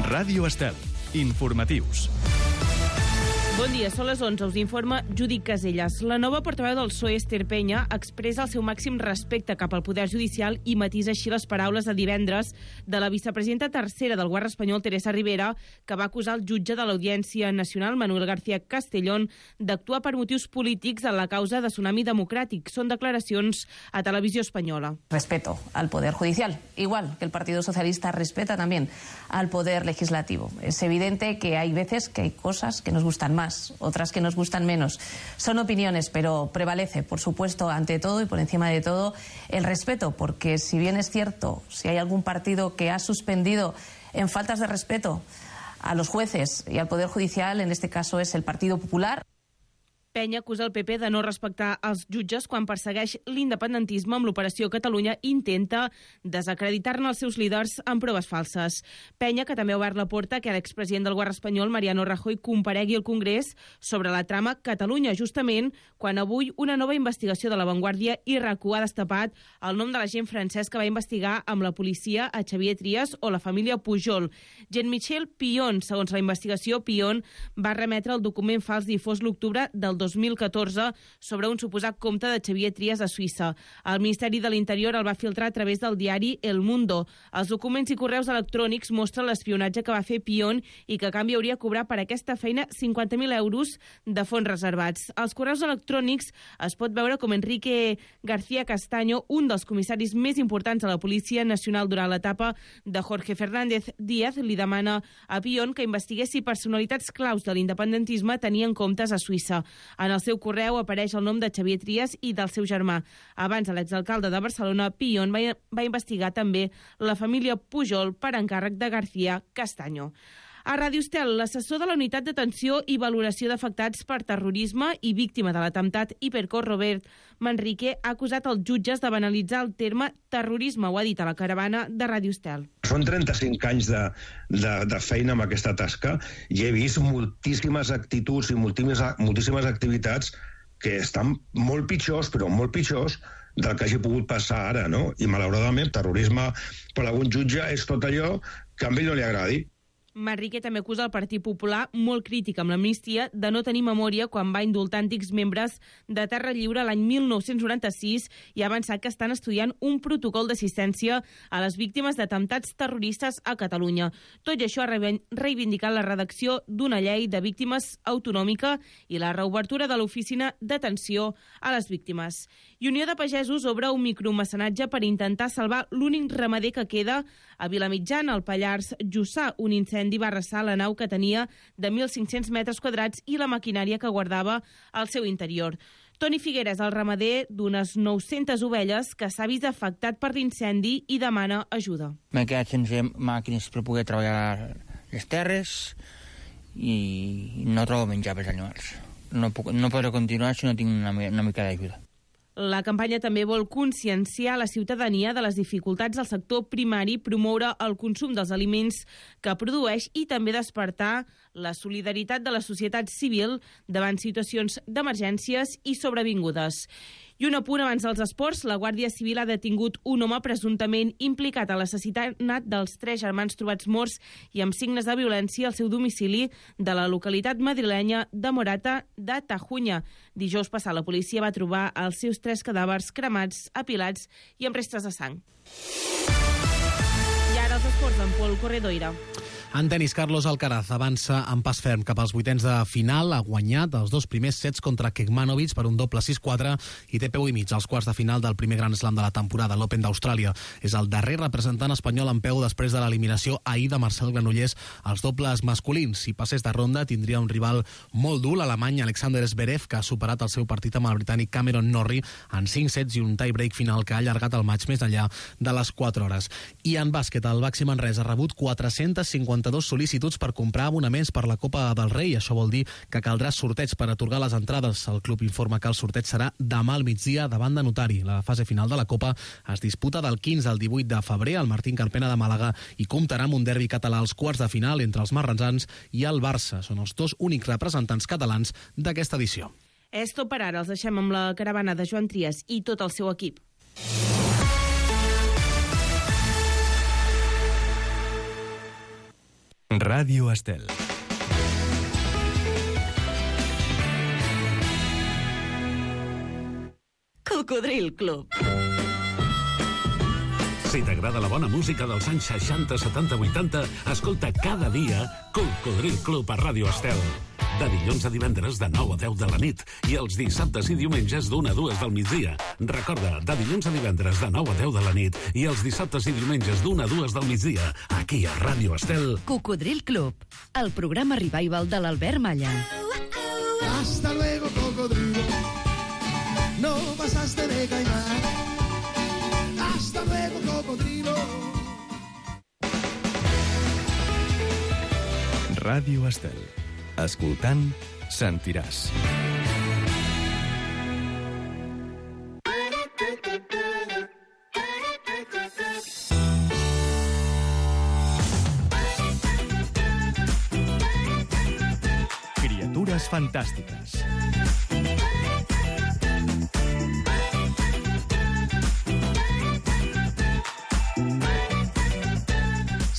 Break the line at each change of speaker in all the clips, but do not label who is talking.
Ràdio Estel. Informatius.
Bon dia, són les 11, us informa Judit Casellas. La nova portaveu del PSOE, Esther Peña, expressa el seu màxim respecte cap al poder judicial i matisa així les paraules de divendres de la vicepresidenta tercera del govern espanyol, Teresa Ribera, que va acusar el jutge de l'Audiència Nacional, Manuel García Castellón, d'actuar per motius polítics en la causa de Tsunami Democràtic. Són declaracions a Televisió Espanyola.
Respeto al Poder Judicial, igual que el Partido Socialista respeta también al Poder Legislativo. Es evidente que hay veces que hay cosas que nos gustan más, otras que nos gustan menos. Son opiniones, pero prevalece, por supuesto, ante todo y por encima de todo, el respeto, porque si bien es cierto, si hay algún partido que ha suspendido en faltas de respeto a los jueces y al Poder Judicial, en este caso es el Partido Popular.
Peña acusa el PP de no respectar els jutges quan persegueix l'independentisme amb l'Operació Catalunya i intenta desacreditar-ne els seus líders amb proves falses. Peña, que també ha obert la porta que l'expresident del govern espanyol, Mariano Rajoy, comparegui al Congrés sobre la trama Catalunya, justament quan avui una nova investigació de La Vanguardia i RAC1 ha destapat el nom de l'agent francès que va investigar amb la policia a Xavier Trias o la família Pujol. Jean-Michel Pillon, segons la investigació, Pillon va remetre el document fals difós l'octubre del 2014 sobre un suposat compte de Xavier Trias a Suïssa. El Ministeri de l'Interior el va filtrar a través del diari El Mundo. Els documents i correus electrònics mostren l'espionatge que va fer Pillon i que a canvi hauria de cobrar per aquesta feina 50.000 euros de fons reservats. Als correus electrònics es pot veure com Enrique García Castaño, un dels comissaris més importants de la Policia Nacional durant l'etapa de Jorge Fernández Díaz, li demana a Pillon que investigués si personalitats claus de l'independentisme tenien comptes a Suïssa. En el seu correu apareix el nom de Xavier Trias i del seu germà. Abans, l'exalcalde de Barcelona, Pillon, va investigar també la família Pujol per encàrrec de García Castaño. A Ràdio Estel, l'assessor de la Unitat d'Atenció i Valoració d'Afectats per Terrorisme i víctima de l'atemptat Hipercor, Robert Manrique, ha acusat els jutges de banalitzar el terme terrorisme. Ho ha dit a la caravana de Ràdio Estel.
Són 35 anys de feina amb aquesta tasca i he vist moltíssimes actituds i moltíssimes activitats que estan molt pitjors, però molt pitjors del que hagi pogut passar ara, no? I malauradament, terrorisme per algun jutge és tot allò que a ell no li agradi.
Manrique també acusa el Partit Popular, molt crític amb l'amnistia, de no tenir memòria quan va indultar antics membres de Terra Lliure l'any 1996 i ha avançat que estan estudiant un protocol d'assistència a les víctimes d'atemptats terroristes a Catalunya. Tot i això ha reivindicat la redacció d'una llei de víctimes autonòmica i la reobertura de l'oficina d'atenció a les víctimes. I Unió de Pagesos obre un micromecenatge per intentar salvar l'únic ramader que queda a Vilamitjana, al Pallars Jussà. Un incendi va arrasar la nau que tenia de 1.500 metres quadrats i la maquinària que guardava al seu interior. Toni Figueres, el ramader d'unes 900 ovelles que s'ha vist afectat per l'incendi i demana ajuda.
M'he quedat sense màquines per poder treballar les terres i no trobo menjar pels animals. No podré continuar si no tinc una mica d'ajuda.
La campanya també vol conscienciar la ciutadania de les dificultats del sector primari, promoure el consum dels aliments que produeix i també despertar la solidaritat de la societat civil davant situacions d'emergències i sobrevingudes. I un apunt abans dels esports, la Guàrdia Civil ha detingut un home presumptament implicat a l'assassinat dels 3 germans trobats morts i amb signes de violència al seu domicili de la localitat madrilenya de Morata de Tajuña. Dijous passat la policia va trobar els seus 3 cadàvers cremats, apilats i amb restes de sang. I ara els esports amb Pol Corredoira.
En tenis, Carlos Alcaraz avança amb pas ferm cap als vuitens de final. Ha guanyat els 2 primers sets contra Kekmanovic per un doble 6-4 i té peu i mig als quarts de final del primer Grand Slam de la temporada, l'Open d'Austràlia. És el darrer representant espanyol en peu després de l'eliminació ahir de Marcel Granollers als dobles masculins. Si passés de ronda, tindria un rival molt dur, l'alemany Alexander Zverev, que ha superat el seu partit amb el britànic Cameron Norrie en 5 sets i un tie-break final que ha allargat el match més enllà de les 4 hores. I en bàsquet, el Baxi Manresa ha rebut 452 sol·licituds per comprar abonaments per la Copa del Rei. Això vol dir que caldrà sorteig per atorgar les entrades. El club informa que el sorteig serà demà al migdia davant de Notari. La fase final de la Copa es disputa del 15 al 18 de febrer al Martín Carpena de Màlaga i comptarà amb un derbi català als quarts de final entre els marransans i el Barça. Són els 2 únics representants catalans d'aquesta edició.
És tot per ara. Els deixem amb la caravana de Joan Trias i tot el seu equip.
Ràdio Estel.
Cocodril Club.
Si t'agrada la bona música dels anys 60, 70, 80, escolta cada dia Cocodril Club a Ràdio Estel. De dilluns a divendres de 9 a 10 de la nit i els dissabtes i diumenges d'1 a 2 del migdia. Recorda, de dilluns a divendres de 9 a 10 de la nit i els dissabtes i diumenges d'1 a 2 del migdia, aquí a Ràdio Estel.
Cocodril Club, el programa revival de l'Albert Malla.
Hasta luego, cocodrilo. No pasaste de caimán. Hasta luego, cocodrilo.
Ràdio Estel. Escoltant, sentiràs. Criatures fantàstiques.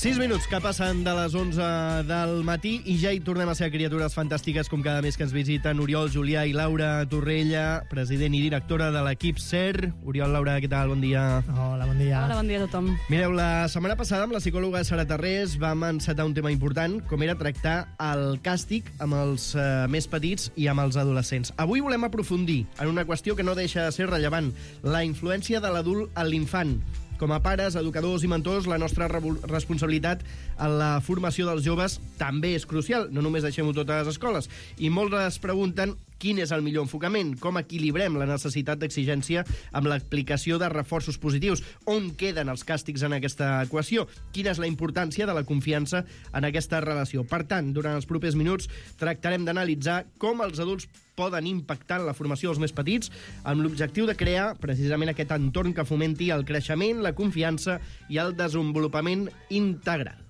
6 minuts que passen de les 11 del matí i ja hi tornem a ser a Criatures Fantàstiques, com cada mes que ens visiten Oriol, Julià i Laura Torrella, president i directora de l'equip SER. Oriol, Laura, què tal? Bon dia.
Hola, bon dia.
Hola, bon dia a tothom.
Mireu, la setmana passada amb la psicòloga Sara Tarrés vam encetar un tema important, com era tractar el càstig amb els més petits i amb els adolescents. Avui volem aprofundir en una qüestió que no deixa de ser rellevant, la influència de l'adult en l'infant. Com a pares, educadors i mentors, la nostra responsabilitat en la formació dels joves també és crucial. No només deixem-ho tot a les escoles. I molts es pregunten quin és el millor enfocament, com equilibrem la necessitat d'exigència amb l'aplicació de reforços positius, on queden els càstigs en aquesta equació, quina és la importància de la confiança en aquesta relació. Per tant, durant els propers minuts tractarem d'analitzar com els adults poden impactar en la formació dels més petits amb l'objectiu de crear precisament aquest entorn que fomenti el creixement, la confiança i el desenvolupament integral.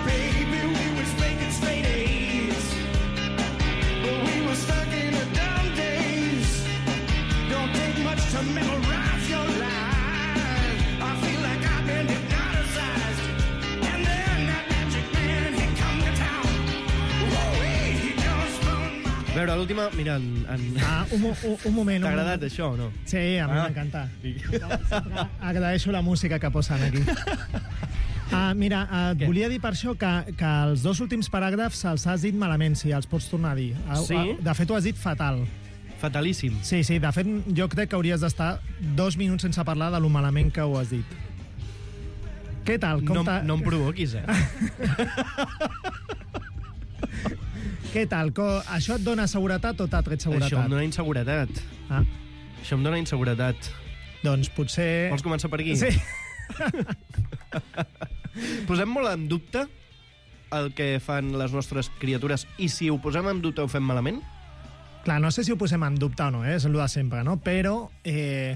Baby, we was making straight A's, but we were stuck in the dumb days. Don't take much to memorize your life. I feel like I've been hypnotized. And then that magic man, he come to town. Woo-wee, he just found my...
A veure, l'última, mira,
Un moment.
t'ha agradat això o no?
Sí, a mi m'encanta. Sempre agraeixo la música que posen aquí. Mira, et volia dir per això que els dos últims paràgrafs els has dit malament, si els pots tornar a dir.
Sí?
De fet, ho has dit fatal.
Fatalíssim.
Sí, de fet, jo crec que hauries d'estar 2 minuts sense parlar de lo malament que ho has dit. Què tal?
No em provoquis,
Què tal? Això et dona seguretat o t'ha tret seguretat?
Això em dona inseguretat. Això em dona inseguretat.
Doncs potser...
Vols començar per aquí?
Sí.
Posem molt en dubte el que fan les nostres criatures i si ho posem en dubte ho fem malament?
Clar, no sé si ho posem en dubte o no, és el de sempre, no? Però hi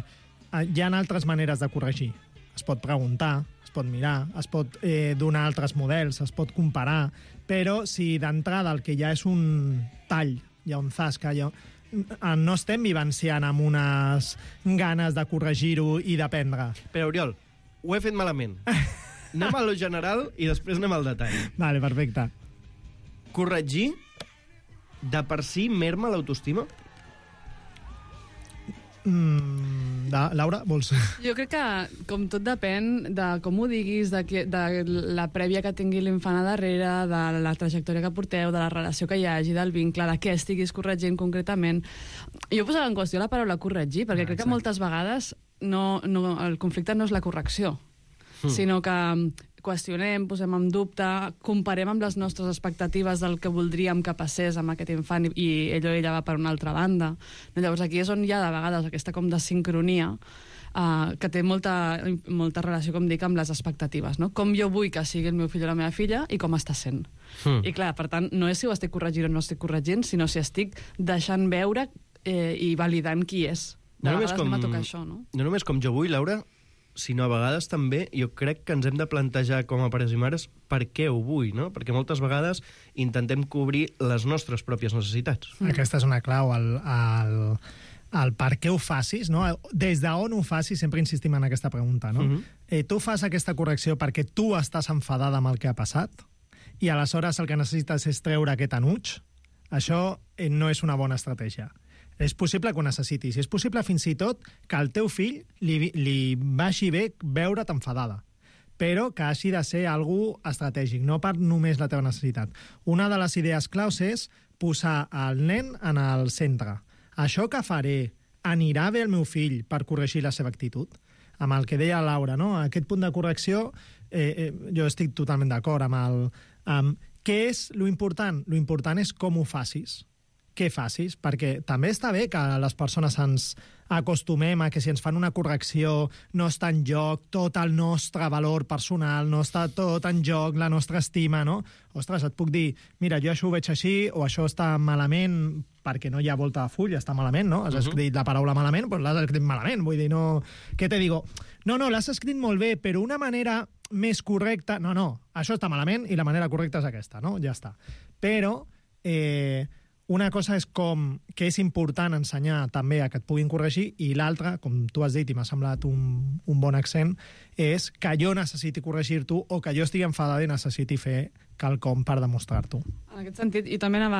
ha altres maneres de corregir. Es pot preguntar, es pot mirar, es pot donar altres models, es pot comparar, però si d'entrada el que ja és un tall, hi ha un zasca, no estem vivenciant amb unes ganes de corregir-ho i d'aprendre.
Però, Oriol, ho he fet malament. Anem a lo general i després anem al detall.
Vale, perfecte.
Corregir de per si merma l'autoestima?
Laura, vols?
Jo crec que, com tot depèn de com ho diguis, de la prèvia que tingui l'infant a darrere, de la trajectòria que porteu, de la relació que hi hagi, del vincle, de què estiguis corregint concretament. Jo posava en qüestió la paraula corregir, perquè crec que moltes vegades el conflicte no és la correcció, sinó que qüestionem, posem en dubte, comparem amb les nostres expectatives del que voldríem que passés amb aquest infant i ell o ella va per una altra banda. Llavors aquí és on hi ha de vegades aquesta com de sincronia que té molta relació, com dic, amb les expectatives, no? Com jo vull que sigui el meu fill o la meva filla i com està sent. I clar, per tant, no és si ho estic corregint o no estic corregint, sinó si estic deixant veure i validant qui és. De vegades anem a tocar això, no?
No només com jo vull, Laura, sinó a vegades també jo crec que ens hem de plantejar com a pares i mares per què ho vull, no? Perquè moltes vegades intentem cobrir les nostres pròpies necessitats.
Aquesta és una clau, el per què ho facis, no? Des d'on ho facis, sempre insistim en aquesta pregunta, no? Tu fas aquesta correcció perquè tu estàs enfadada amb el que ha passat i aleshores el que necessites és treure aquest enuig, això no és una bona estratègia. És possible que ho necessitis. És possible fins i tot que al teu fill li vagi bé veure't enfadada, però que hagi de ser algú estratègic, no per només la teva necessitat. Una de les idees claus és posar el nen en el centre. Això que faré anirà bé al meu fill per corregir la seva actitud? Amb el que deia Laura, no? Aquest punt de correcció, jo estic totalment d'acord amb què és lo important? Lo important és com ho facis. Què facis? Perquè també està bé que les persones ens acostumem a que si ens fan una correcció no està en joc tot el nostre valor personal, no està tot en joc la nostra estima, no? Ostres, et puc dir, mira, jo això ho veig així, o això està malament perquè no hi ha volta de full, està malament, no? Has escrit la paraula malament, doncs l'has escrit malament, vull dir, no... Què te digo? No, l'has escrit molt bé, però una manera més correcta... No, això està malament i la manera correcta és aquesta, no? Ja està. Però... una cosa és que és important ensenyar també a que et puguin corregir, i l'altra, com tu has dit i m'ha semblat un bon accent, és que jo necessiti corregir-t'ho o que jo estigui enfadada i necessiti fer quelcom per demostrar-t'ho.
En aquest sentit, i també anava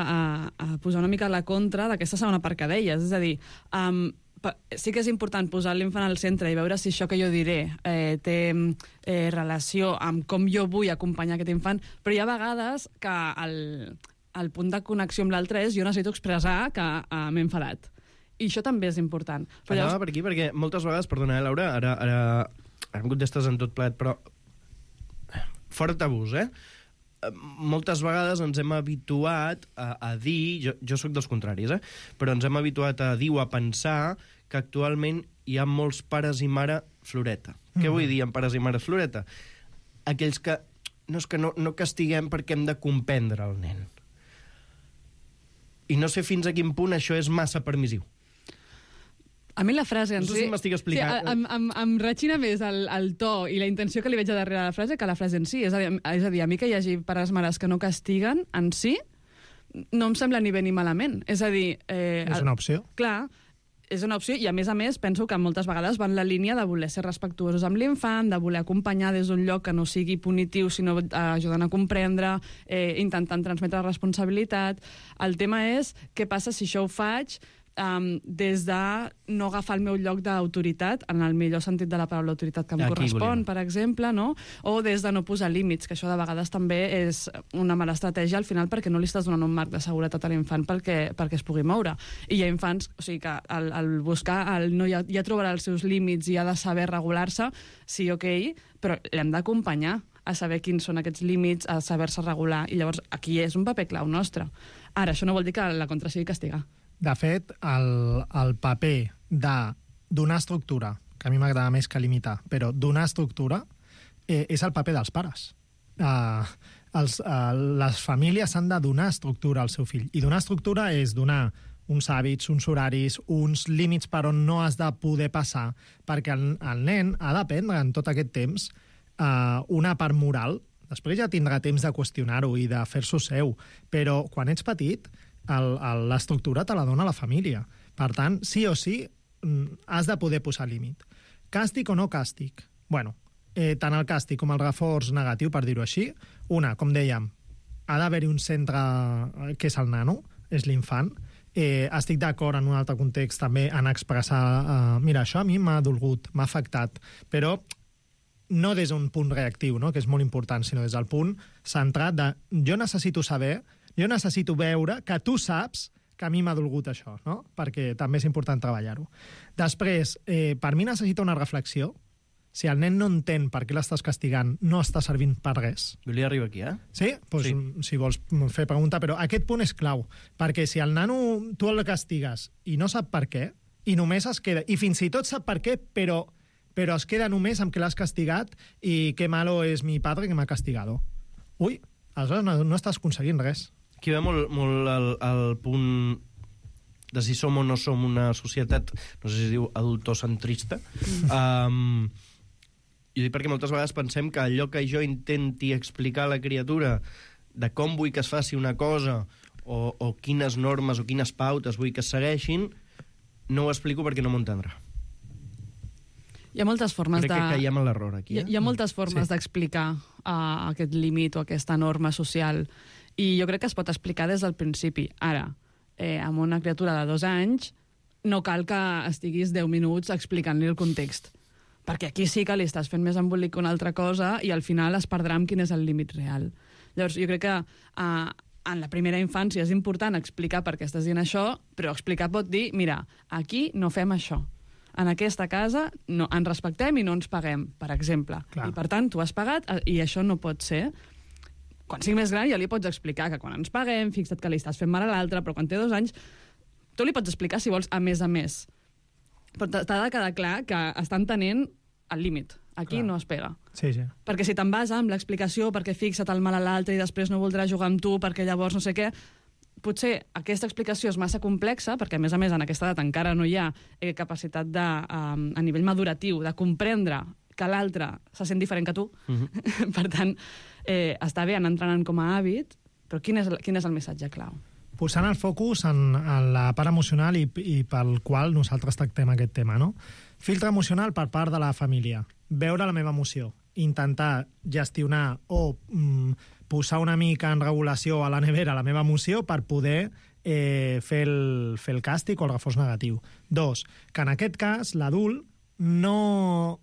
a posar una mica la contra d'aquesta segona part que deies, és a dir, sí que és important posar l'infant al centre i veure si això que jo diré té relació amb com jo vull acompanyar aquest infant, però hi ha vegades que el punt de connexió amb l'altre és jo necessito expressar que m'he enfadat. I això també és important.
Però anava per aquí perquè moltes vegades, perdona, Laura, ara em contestes en tot plet, però fora tabús, moltes vegades ens hem habituat a dir, jo sóc dels contraris, però ens hem habituat a dir o a pensar que actualment hi ha molts pares i mare floreta. Què vull dir amb pares i mare floreta? Aquells que no castiguem perquè hem de comprendre el nen. I no sé fins a quin punt això és massa permissiu.
A mi la frase en
si... No sé si m'estic explicant.
Sí, em retxina més el to i la intenció que li veig a darrere de la frase que la frase en si. És a dir, a mi que hi hagi pares mares que no castiguen en si, no em sembla ni bé ni malament. És a dir...
és una opció.
Clar, és una opció i, a més, penso que moltes vegades va en la línia de voler ser respectuosos amb l'infant, de voler acompanyar des d'un lloc que no sigui punitiu, sinó ajudant a comprendre, intentant transmetre responsabilitat. El tema és què passa si això ho faig des de no agafar el meu lloc d'autoritat, en el millor sentit de la paraula autoritat que em correspon, per exemple, no? O des de no posar límits, que això de vegades també és una mala estratègia al final perquè no li estàs donant un marc de seguretat a l'infant perquè es pugui moure. I hi ha infants, o sigui que al buscar, ja trobarà els seus límits i ha de saber regular-se, sí, ok, però l'hem d'acompanyar a saber quins són aquests límits, a saber-se regular, i llavors aquí és un paper clau nostre. Ara, això no vol dir que la contra sigui castigar.
De fet, el paper de donar estructura, que a mi m'agrada més que limitar, però donar estructura és el paper dels pares. Les famílies han de donar estructura al seu fill. I donar estructura és donar uns hàbits, uns horaris, uns límits per on no has de poder passar, perquè el nen ha d'aprendre en tot aquest temps una part moral. Després ja tindrà temps de qüestionar-ho i de fer-s'ho seu, però quan ets petit l'estructura te la dona la família. Per tant, sí o sí, has de poder posar límit. Càstig o no càstig? Bueno, tant el càstig com el reforç negatiu, per dir-ho així, com dèiem, ha d'haver-hi un centre que és el nano, és l'infant. Estic d'acord en un altre context també en expressar mira, això a mi m'ha dolgut, m'ha afectat, però no des d'un punt reactiu, no? Que és molt important, sinó des del punt centrat de jo necessito saber, jo necessito veure que tu saps que a mi m'ha dolgut això, no? Perquè també és important treballar-ho. Després, per mi necessita una reflexió. Si el nen no entén per què l'estàs castigant, no està servint per res.
Volia arribar aquí,
Sí? Pues, sí. Si vols fer pregunta, però aquest punt és clau, perquè si el nano tu el castigues i no sap per què, i només es queda, i fins i tot sap per què, però es queda només amb que l'has castigat i que malo és mi padre que m'ha castigado. Ui, aleshores no estàs aconseguint res.
Aquí ve molt el punt de si som o no som una societat, no sé si es diu adultocentrista. Jo dic perquè moltes vegades pensem que allò que jo intenti explicar a la criatura de com vull que es faci una cosa o quines normes o quines pautes vull que es segueixin, no ho explico perquè no m'ho entendrà.
Hi ha moltes formes
Crec que caiem en l'error aquí.
Hi ha moltes formes d'explicar aquest límit o aquesta norma social, i jo crec que es pot explicar des del principi. Ara, amb una criatura de 2 anys, no cal que estiguis 10 minuts explicant-li el context, perquè aquí sí que li estàs fent més embolic que una altra cosa i al final es perdrà amb quin és el límit real. Llavors, jo crec que en la primera infància és important explicar per què estàs dient això, però explicar pot dir, mira, aquí no fem això. En aquesta casa no, ens respectem i no ens paguem, per exemple. Clar. I per tant, tu has pagat i això no pot ser. Quan sigui més gran ja li pots explicar que quan ens paguem, fixa't que li estàs fent mal a l'altre, però quan té 2 anys, tu li pots explicar si vols a més a més. Però t'ha de quedar clar que estan tenint el límit. Aquí no es pega.
Sí.
Perquè si te'n vas amb l'explicació, perquè fixa't el mal a l'altre i després no voldrà jugar amb tu perquè llavors no sé què, potser aquesta explicació és massa complexa, perquè a més en aquesta edat encara no hi ha capacitat a nivell maduratiu de comprendre que l'altre se sent diferent que tu. Per tant, està bé anar entrenant com a hàbit, però quin és el missatge clau?
Posant el focus en la part emocional i pel qual nosaltres tractem aquest tema, no? Filtre emocional per part de la família. Veure la meva emoció. Intentar gestionar o posar una mica en regulació a la nevera la meva emoció per poder fer el càstig o el reforç negatiu. 2, que en aquest cas l'adult no...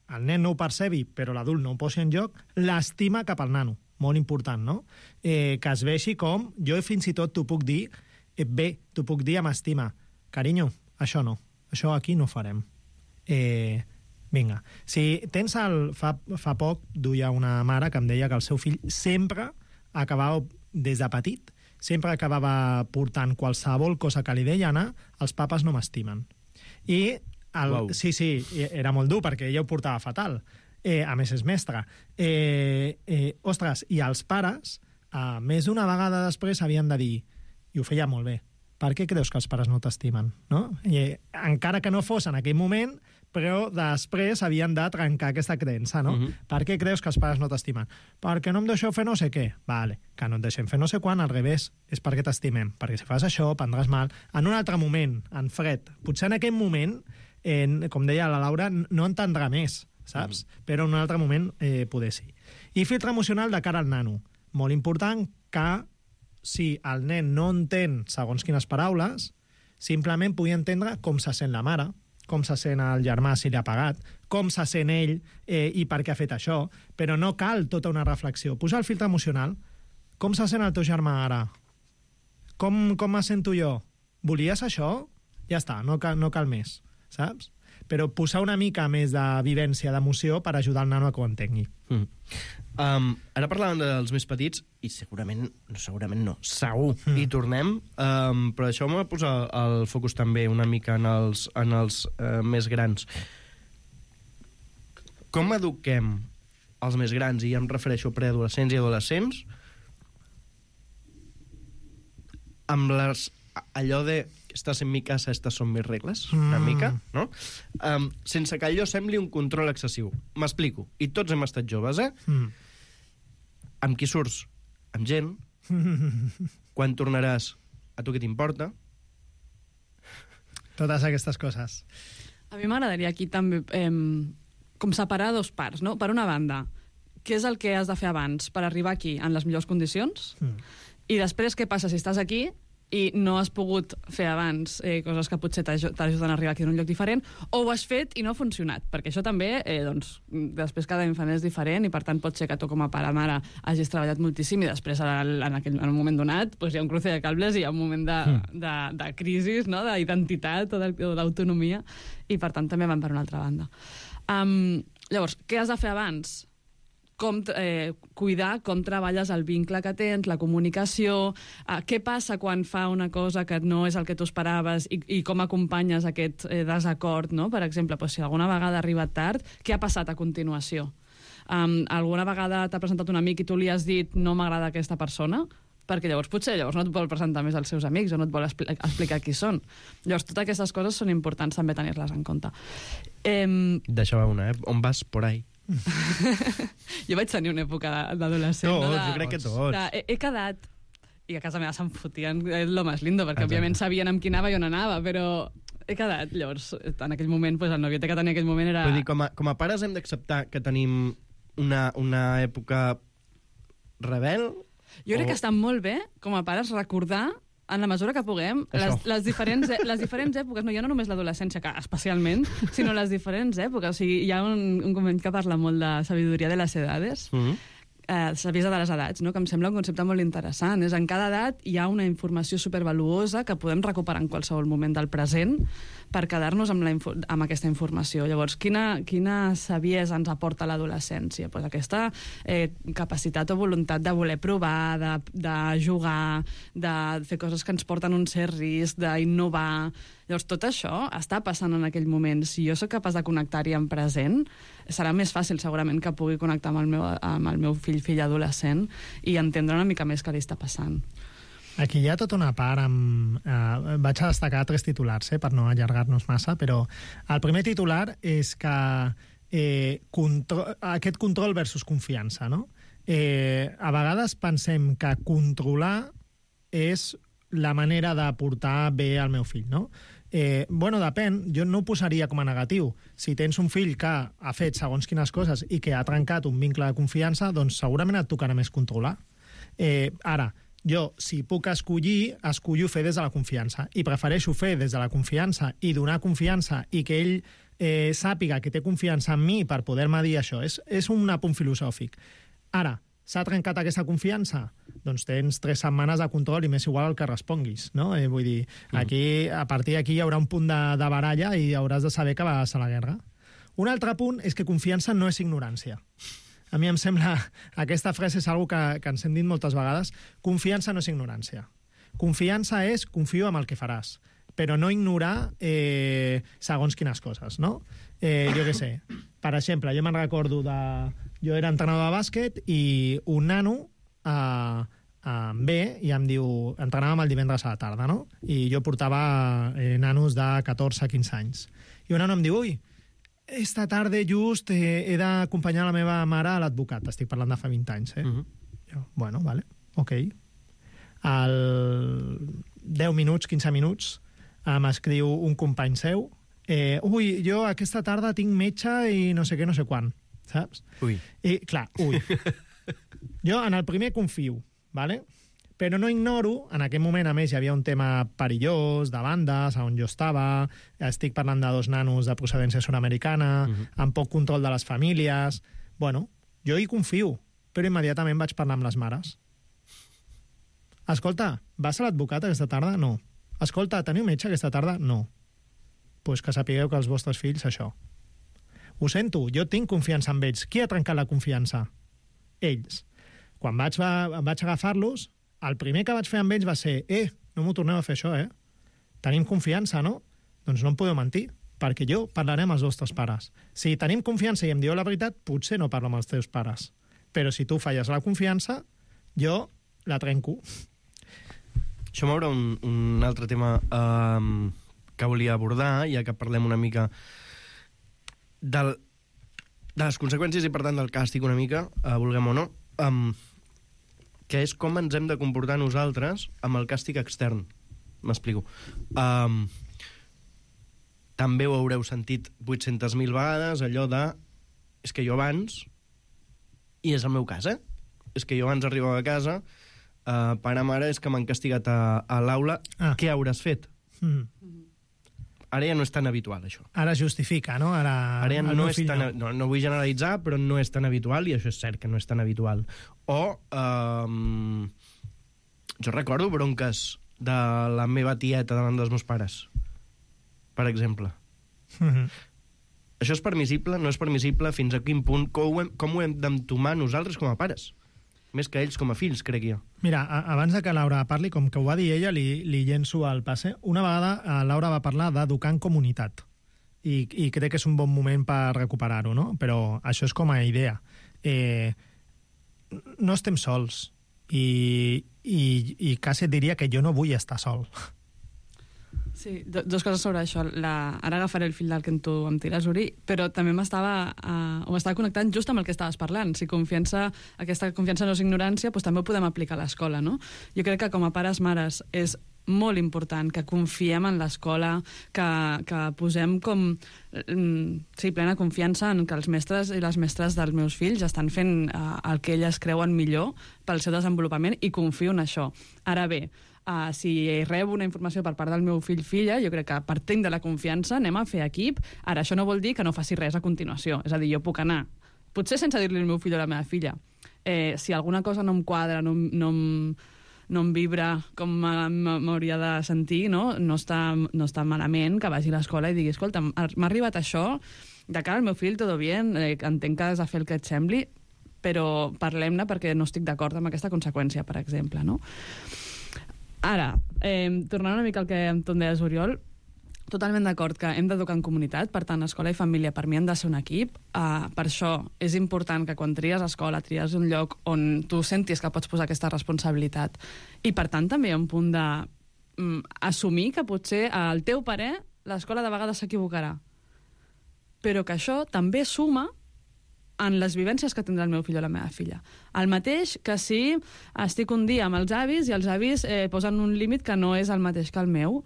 El nen no ho percebi, però l'adult no ho posi en joc, l'estima cap al nano. Molt important, no? Que es vegi com... Jo fins i tot t'ho puc dir bé, t'ho puc dir amb estima. Carinyo, això no. Això aquí no ho farem. Vinga. Si tens fa poc duia una mare que em deia que el seu fill sempre acabava, des de petit, sempre acabava portant qualsevol cosa que li deia anar, els papes no m'estimen. I sí, era molt dur perquè ella ho portava fatal. A més és mestra. Ostres, i els pares, més d'una vegada després havien de dir, i ho feia molt bé, per què creus que els pares no t'estimen? No? I, encara que no fos en aquell moment, però després havien de trencar aquesta creença, no? Per què creus que els pares no t'estimen? Perquè no em deixeu fer no sé què. Vale, que no et deixem fer no sé quan, al revés, és perquè t'estimem. Perquè si fas això, prendràs mal. En un altre moment, en fred, potser en aquell moment, com deia la Laura, no entendrà més, saps? Però en un altre moment poder sí. I filtre emocional de cara al nano. Molt important que si el nen no entén segons quines paraules, simplement pugui entendre com se sent la mare, com se sent el germà si li ha pagat, com se sent ell i per què ha fet això, però no cal tota una reflexió. Posar el filtre emocional. Com se sent el teu germà ara? Com me sento jo? Volies això? Ja està, no cal més, saps? Però posar una mica més de vivència, d'emoció, per ajudar el nano a que ho entengui.
Ara parlàvem dels més petits, i segur, hi tornem, però deixeu-me posar el focus també una mica en els més grans. Com eduquem els més grans, i em refereixo a preadolescents i adolescents, amb allò de estàs en mi casa, estas son mis regles, una mica, no? Sense que allò sembli un control excessiu. M'explico. I tots hem estat joves, Amb qui surts? Amb gent. Quan tornaràs? A tu què t'importa?
Totes aquestes coses.
A mi m'agradaria aquí també com separar 2 parts, no? Per una banda, què és el que has de fer abans per arribar aquí en les millors condicions? I després, què passa si estàs aquí i no has pogut fer abans coses que potser t'ajuden a arribar aquí en un lloc diferent, o ho has fet i no ha funcionat, perquè això també, després cada infant és diferent i per tant pot ser que tu com a pare mare hagis treballat moltíssim i després en un moment donat hi ha un cruce de cables i hi ha un moment de crisi, no? D'identitat o d'autonomia, i per tant també van per una altra banda. Llavors, què has de fer abans? Cuidar com treballes el vincle que tens, la comunicació, què passa quan fa una cosa que no és el que tu esperaves i com acompanyes aquest desacord, no? Per exemple, si alguna vegada ha arribat tard, què ha passat a continuació? Alguna vegada t'ha presentat un amic i tu li has dit no m'agrada aquesta persona? Perquè llavors potser no et vol presentar més als seus amics o no et vol explicar qui són. Llavors, totes aquestes coses són importants també tenir-les en compte.
Deixava una, On vas por ahí?
Jo vaig tenir una època d'adolescent.
Jo crec que tots.
He quedat, i a casa meva se'n fotien lo más lindo, perquè òbviament sabien amb qui anava i on anava, però he quedat. Llavors, en aquell moment, el noviete que tenia en aquell moment era...
Vull dir, com a pares hem d'acceptar que tenim una època rebel?
Jo crec que està molt bé, com a pares, recordar en la mesura que puguem, les diferents èpoques, no, ja no només l'adolescència, que especialment, sinó les diferents èpoques. O sigui, hi ha un convent que parla molt de sabidoria de les edades, saviesa de les edats, no? Que em sembla un concepte molt interessant. És en cada edat hi ha una informació supervaluosa que podem recuperar en qualsevol moment del present per quedar-nos amb aquesta informació. Llavors, quina saviesa ens aporta l'adolescència? Pues aquesta capacitat o voluntat de voler provar, de jugar, de fer coses que ens porten un cert risc, d'innovar. Llavors, tot això està passant en aquell moment. Si jo sóc capaç de connectar-hi en present, serà més fàcil, segurament, que pugui connectar amb el meu fill adolescent i entendre una mica més què li està passant.
Aquí hi ha tota una part vaig a destacar 3 titulars, per no allargar-nos massa, però el primer titular és que aquest control versus confiança, no? A vegades pensem que controlar és la manera de portar bé al meu fill, no? Bueno, depèn, jo no ho posaria com a negatiu. Si tens un fill que ha fet segons quines coses i que ha trencat un vincle de confiança, doncs segurament et tocarà més controlar. Ara, jo, si puc escollo fer des de la confiança, i prefereixo fer des de la confiança i donar confiança i que ell sàpiga que té confiança en mi per poder-me dir això. És un apunt filosòfic. Ara, s'ha trencat aquesta confiança? Doncs tens 3 setmanes de control i m'és igual el que responguis, no? Vull dir, aquí, a partir d'aquí hi haurà un punt de baralla i hauràs de saber que vas a la guerra. Un altre punt és que confiança no és ignorància. A mi em sembla, aquesta frase és una que ens hem dit moltes vegades, confiança no és ignorància. Confiança és confio en el que faràs, però no ignorar segons quines coses, no? Jo què sé, per exemple, jo me'n recordo jo era entrenador de bàsquet i un nano em ve i em diu, entrenàvem el divendres a la tarda, no? I jo portava nanos de 14-15 anys. I un nano em diu, ui, esta tarda just he d'acompanyar la meva mare a l'advocat. Estic parlant de fa 20 anys, Jo, bueno, vale, ok. Al 10 minuts, 15 minuts, m'escriu un company seu, ui, jo aquesta tarda tinc metge i no sé què, no sé quan, saps?
Ui.
I, clar, ui. Jo en el primer confio, vale? Però no ignoro, en aquell moment, a més, hi havia un tema perillós, de bandes, on jo estava, estic parlant de 2 nanos de procedència sud-americana, amb poc control de les famílies... Bueno, jo hi confio, però immediatament vaig parlar amb les mares. Escolta, vas a l'advocat aquesta tarda? No. Escolta, teniu metge aquesta tarda? No. Pues que sapigueu que els vostres fills, això. Ho sento, jo tinc confiança en ells. Qui ha trencat la confiança? Ells. Quan vaig agafar-los, el primer que vaig fer amb ells va ser no m'ho torneu a fer això, Tenim confiança, no? Doncs no em podeu mentir, perquè jo parlaré amb els vostres pares. Si tenim confiança i em dieu la veritat, potser no parlo amb els teus pares. Però si tu falles la confiança, jo la trenco.
Això m'obre un altre tema que volia abordar, ja que parlem una mica de les conseqüències i, per tant, del càstig una mica, vulguem o no, que és com ens hem de comportar nosaltres amb el càstig extern. M'explico. També ho haureu sentit 800.000 vegades, allò de és que jo abans, i és el meu cas, és que jo abans arribava a casa, pare, mare, és que m'han castigat a l'aula, què hauràs fet? Ara ja no és tan habitual, això.
Ara justifica, no? Ara ja
no és tan... No vull generalitzar, però no és tan habitual, i això és cert que no és tan habitual. O... jo recordo bronques de la meva tieta davant dels meus pares, per exemple. Això és permissible? No és permissible? Fins a quin punt? Com ho hem d'entomar nosaltres com a pares? Més que ells com a fills, crec jo.
Mira, abans de que Laura parli, com que ho va dir ella, li llenço el passe. Una vegada Laura va parlar d'educar en comunitat. I crec que és un bon moment per recuperar-ho, no? Però això és com a idea. No estem sols. I quasi et diria que jo no vull estar sol.
Sí, dues coses sobre això. Ara agafaré el fil del que tu em tires, Uri, però també m'estava connectant just amb el que estaves parlant. Si aquesta confiança no és ignorància, doncs també ho podem aplicar a l'escola, no? Jo crec que com a pares, mares, és molt important, que confiem en l'escola, que posem com plena confiança en que els mestres i les mestres dels meus fills estan fent el que elles creuen millor pel seu desenvolupament i confio en això. Ara bé, si rebo una informació per part del meu fill-filla, jo crec que partint de la confiança anem a fer equip. Ara, això no vol dir que no faci res a continuació. És a dir, jo puc anar, potser sense dir-li al meu fill o a la meva filla, si alguna cosa no em quadra, no em vibra com m'hauria de sentir, no està malament, que vagi a l'escola i digui, escolta, m'ha arribat això, de cara al meu fill, tot bien, entenc que has de fer el que et sembli, però parlem-ne perquè no estic d'acord amb aquesta conseqüència, per exemple, no? Ara, tornant una mica al que tu em deies, Oriol, totalment d'acord que hem d'educar en comunitat, per tant, escola i família per mi han de ser un equip. Per això és important que quan tries escola, tries un lloc on tu sentis que pots posar aquesta responsabilitat. I per tant també hi ha un punt d'assumir que potser al teu parer l'escola de vegades s'equivocarà. Però que això també suma en les vivències que tindrà el meu fill o la meva filla. El mateix que si estic un dia amb els avis i els avis posen un límit que no és el mateix que el meu.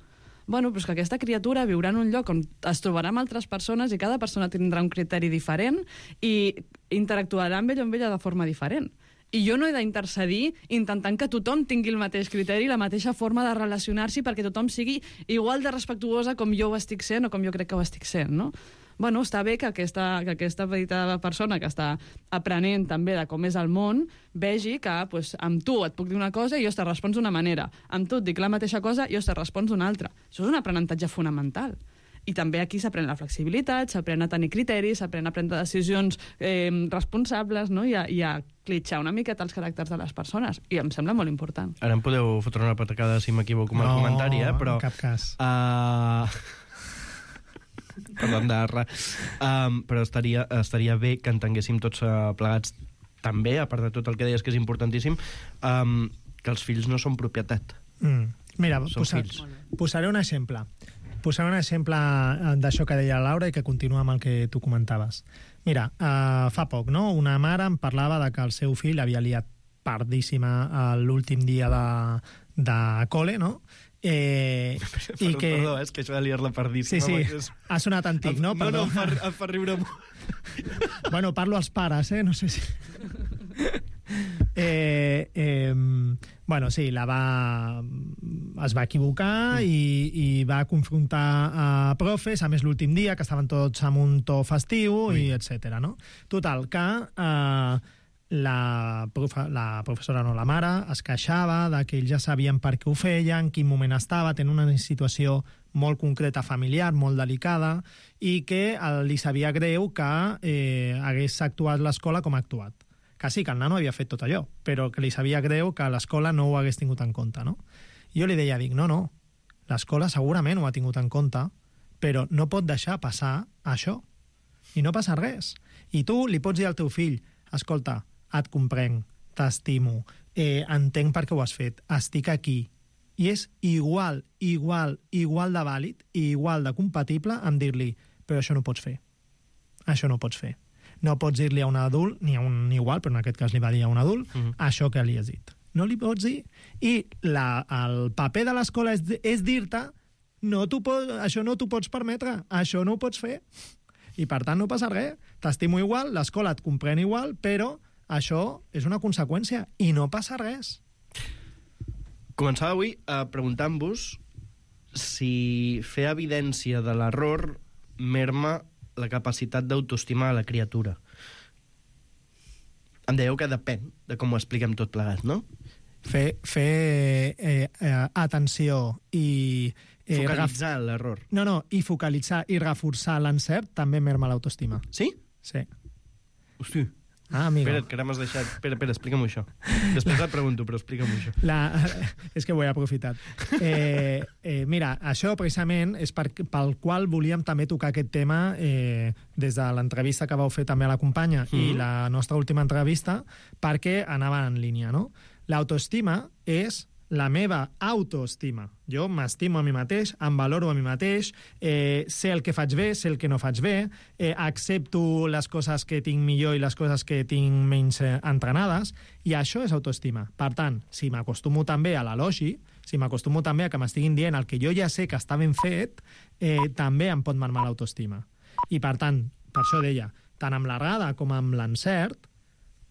Bueno, però és que aquesta criatura viurà en un lloc on es trobarà amb altres persones i cada persona tindrà un criteri diferent i interactuarà amb ell o amb ella de forma diferent. I jo no he d'intercedir intentant que tothom tingui el mateix criteri, la mateixa forma de relacionar-s'hi perquè tothom sigui igual de respectuosa com jo ho estic sent o com jo crec que ho estic sent, no? Bueno, està bé que aquesta petita persona que està aprenent també de com és el món vegi que amb tu et puc dir una cosa i jo te respons d'una manera. Amb tu et dic la mateixa cosa i jo te respons d'una altra. Això és un aprenentatge fonamental. I també aquí s'aprèn la flexibilitat, s'aprèn a tenir criteris, s'aprèn a prendre decisions responsables, no? I a clitxar una miqueta els caràcters de les persones. I em sembla molt important.
Ara em podeu fotre una patacada si m'equivoco amb el comentari, però...
No, en cap cas.
Perdó, però estaria bé que entenguéssim tots plegats també, a part de tot el que deies que és importantíssim, que els fills no són propietat.
Mira,
posaré
un exemple. Posaré un exemple d'això que deia la Laura i que continua amb el que tu comentaves. Mira, fa poc, no? Una mare em parlava de que el seu fill havia liat pardíssima l'últim dia de col·le, no?
Perdó, és que això de liar-la pardíssima...
Sí, ha sonat antic, no?
No, em fa riure molt.
Bueno, parlo als pares, no sé si... Bueno, sí, es va equivocar i va confrontar a profes, a més l'últim dia, que estaven tots amb un to festiu, i etc. No? Total, que la professora, no, la mare, es queixava de que ells ja sabien per què ho feien, en quin moment estava, tenen una situació molt concreta familiar, molt delicada, i que li sabia greu que hagués actuat l'escola com ha actuat. Que sí, que el nano havia fet tot allò, però que li sabia greu que l'escola no ho hagués tingut en compte, no? Jo li deia, no, l'escola segurament ho ha tingut en compte, però no pot deixar passar això. I no passa res. I tu li pots dir al teu fill, escolta, et comprenc, t'estimo, entenc per què ho has fet, estic aquí. I és igual de vàlid i igual de compatible amb dir-li, però això no ho pots fer. Això no ho pots fer. No pots dir-li a un adult, ni a un igual, però en aquest cas li va dir a un adult, això que li has dit. No li pots dir. I el paper de l'escola és dir-te això no t'ho pots permetre, això no ho pots fer. I per tant no passa res. T'estimo igual, l'escola et comprèn igual, però això és una conseqüència i no passa res.
Començava avui preguntant-vos si fer evidència de l'error merma la capacitat d'autoestima de la criatura. Em dèieu que depèn de com ho expliquem tot plegat, no?
Fer atenció i...
Focalitzar l'error.
No, i focalitzar i reforçar l'encert també merma l'autoestima.
Sí?
Sí.
Hosti.
Amigo.
Espera't, que ara m'has deixat... Espera, explica'm això. Després et pregunto, però explica'm això.
És que ho he aprofitat. Mira, això precisament és pel qual volíem també tocar aquest tema des de l'entrevista que vau fer també a la companya i la nostra última entrevista, perquè anava en línia, no? L'autoestima és la meva autoestima. Jo m'estimo a mi mateix, em valoro a mi mateix, sé el que faig bé, sé el que no faig bé, accepto les coses que tinc millor i les coses que tinc menys entrenades, i això és autoestima. Per tant, si m'acostumo també a l'elogi, si m'acostumo també a que m'estiguin dient el que jo ja sé que està ben fet, també em pot marmar l'autoestima. I, per tant, per això deia, tant amb l'errada com amb l'encert,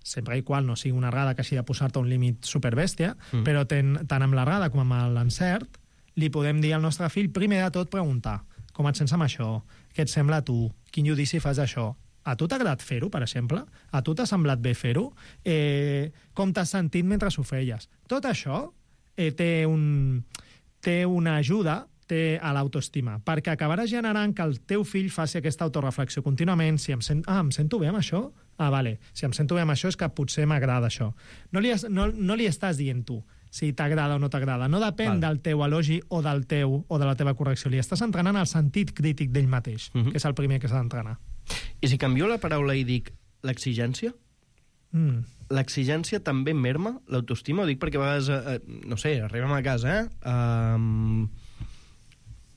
sempre i qual no sigui una errada que hagi de posar-te un límit superbèstia, però tant amb l'errada com amb l'encert, li podem dir al nostre fill, primer de tot, preguntar com et sents amb això, què et sembla a tu, quin judici fas d'això, a tu t'ha agradat fer-ho, per exemple? A tu t'ha semblat bé fer-ho? Com t'has sentit mentre ho feies? Tot això té una ajuda a l'autoestima, perquè acabaràs generant que el teu fill faci aquesta autoreflexió contínuament. Si em sento bé amb això? Vale. Si em sento bé amb això és que potser m'agrada això. No li estàs dient tu si t'agrada o no t'agrada. No depèn del teu elogi o de la teva correcció. Li estàs entrenant el sentit crític d'ell mateix, que és el primer que s'ha d'entrenar.
I si canvio la paraula i dic l'exigència? L'exigència també merma l'autoestima? Ho dic perquè a vegades, no sé, arribem a casa,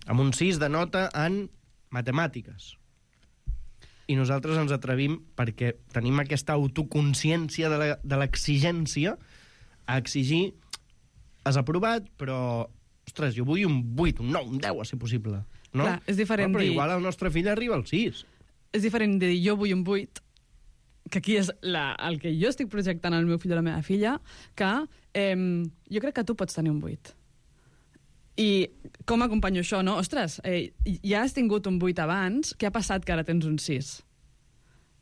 amb un 6 de nota en matemàtiques. I nosaltres ens atrevim, perquè tenim aquesta autoconsciència de l'exigència, a exigir has aprovat, però ostres, jo vull un 8, un 9, un 10, si possible. No?
Clar, és diferent
però
dir...
igual el nostre fill arriba al 6.
És diferent dir jo vull un 8, que aquí és el que jo estic projectant al meu fill o la meva filla, que jo crec que tu pots tenir un 8. I com acompanyo això, no? Ostres, ja has tingut un 8 abans, què ha passat que ara tens un 6?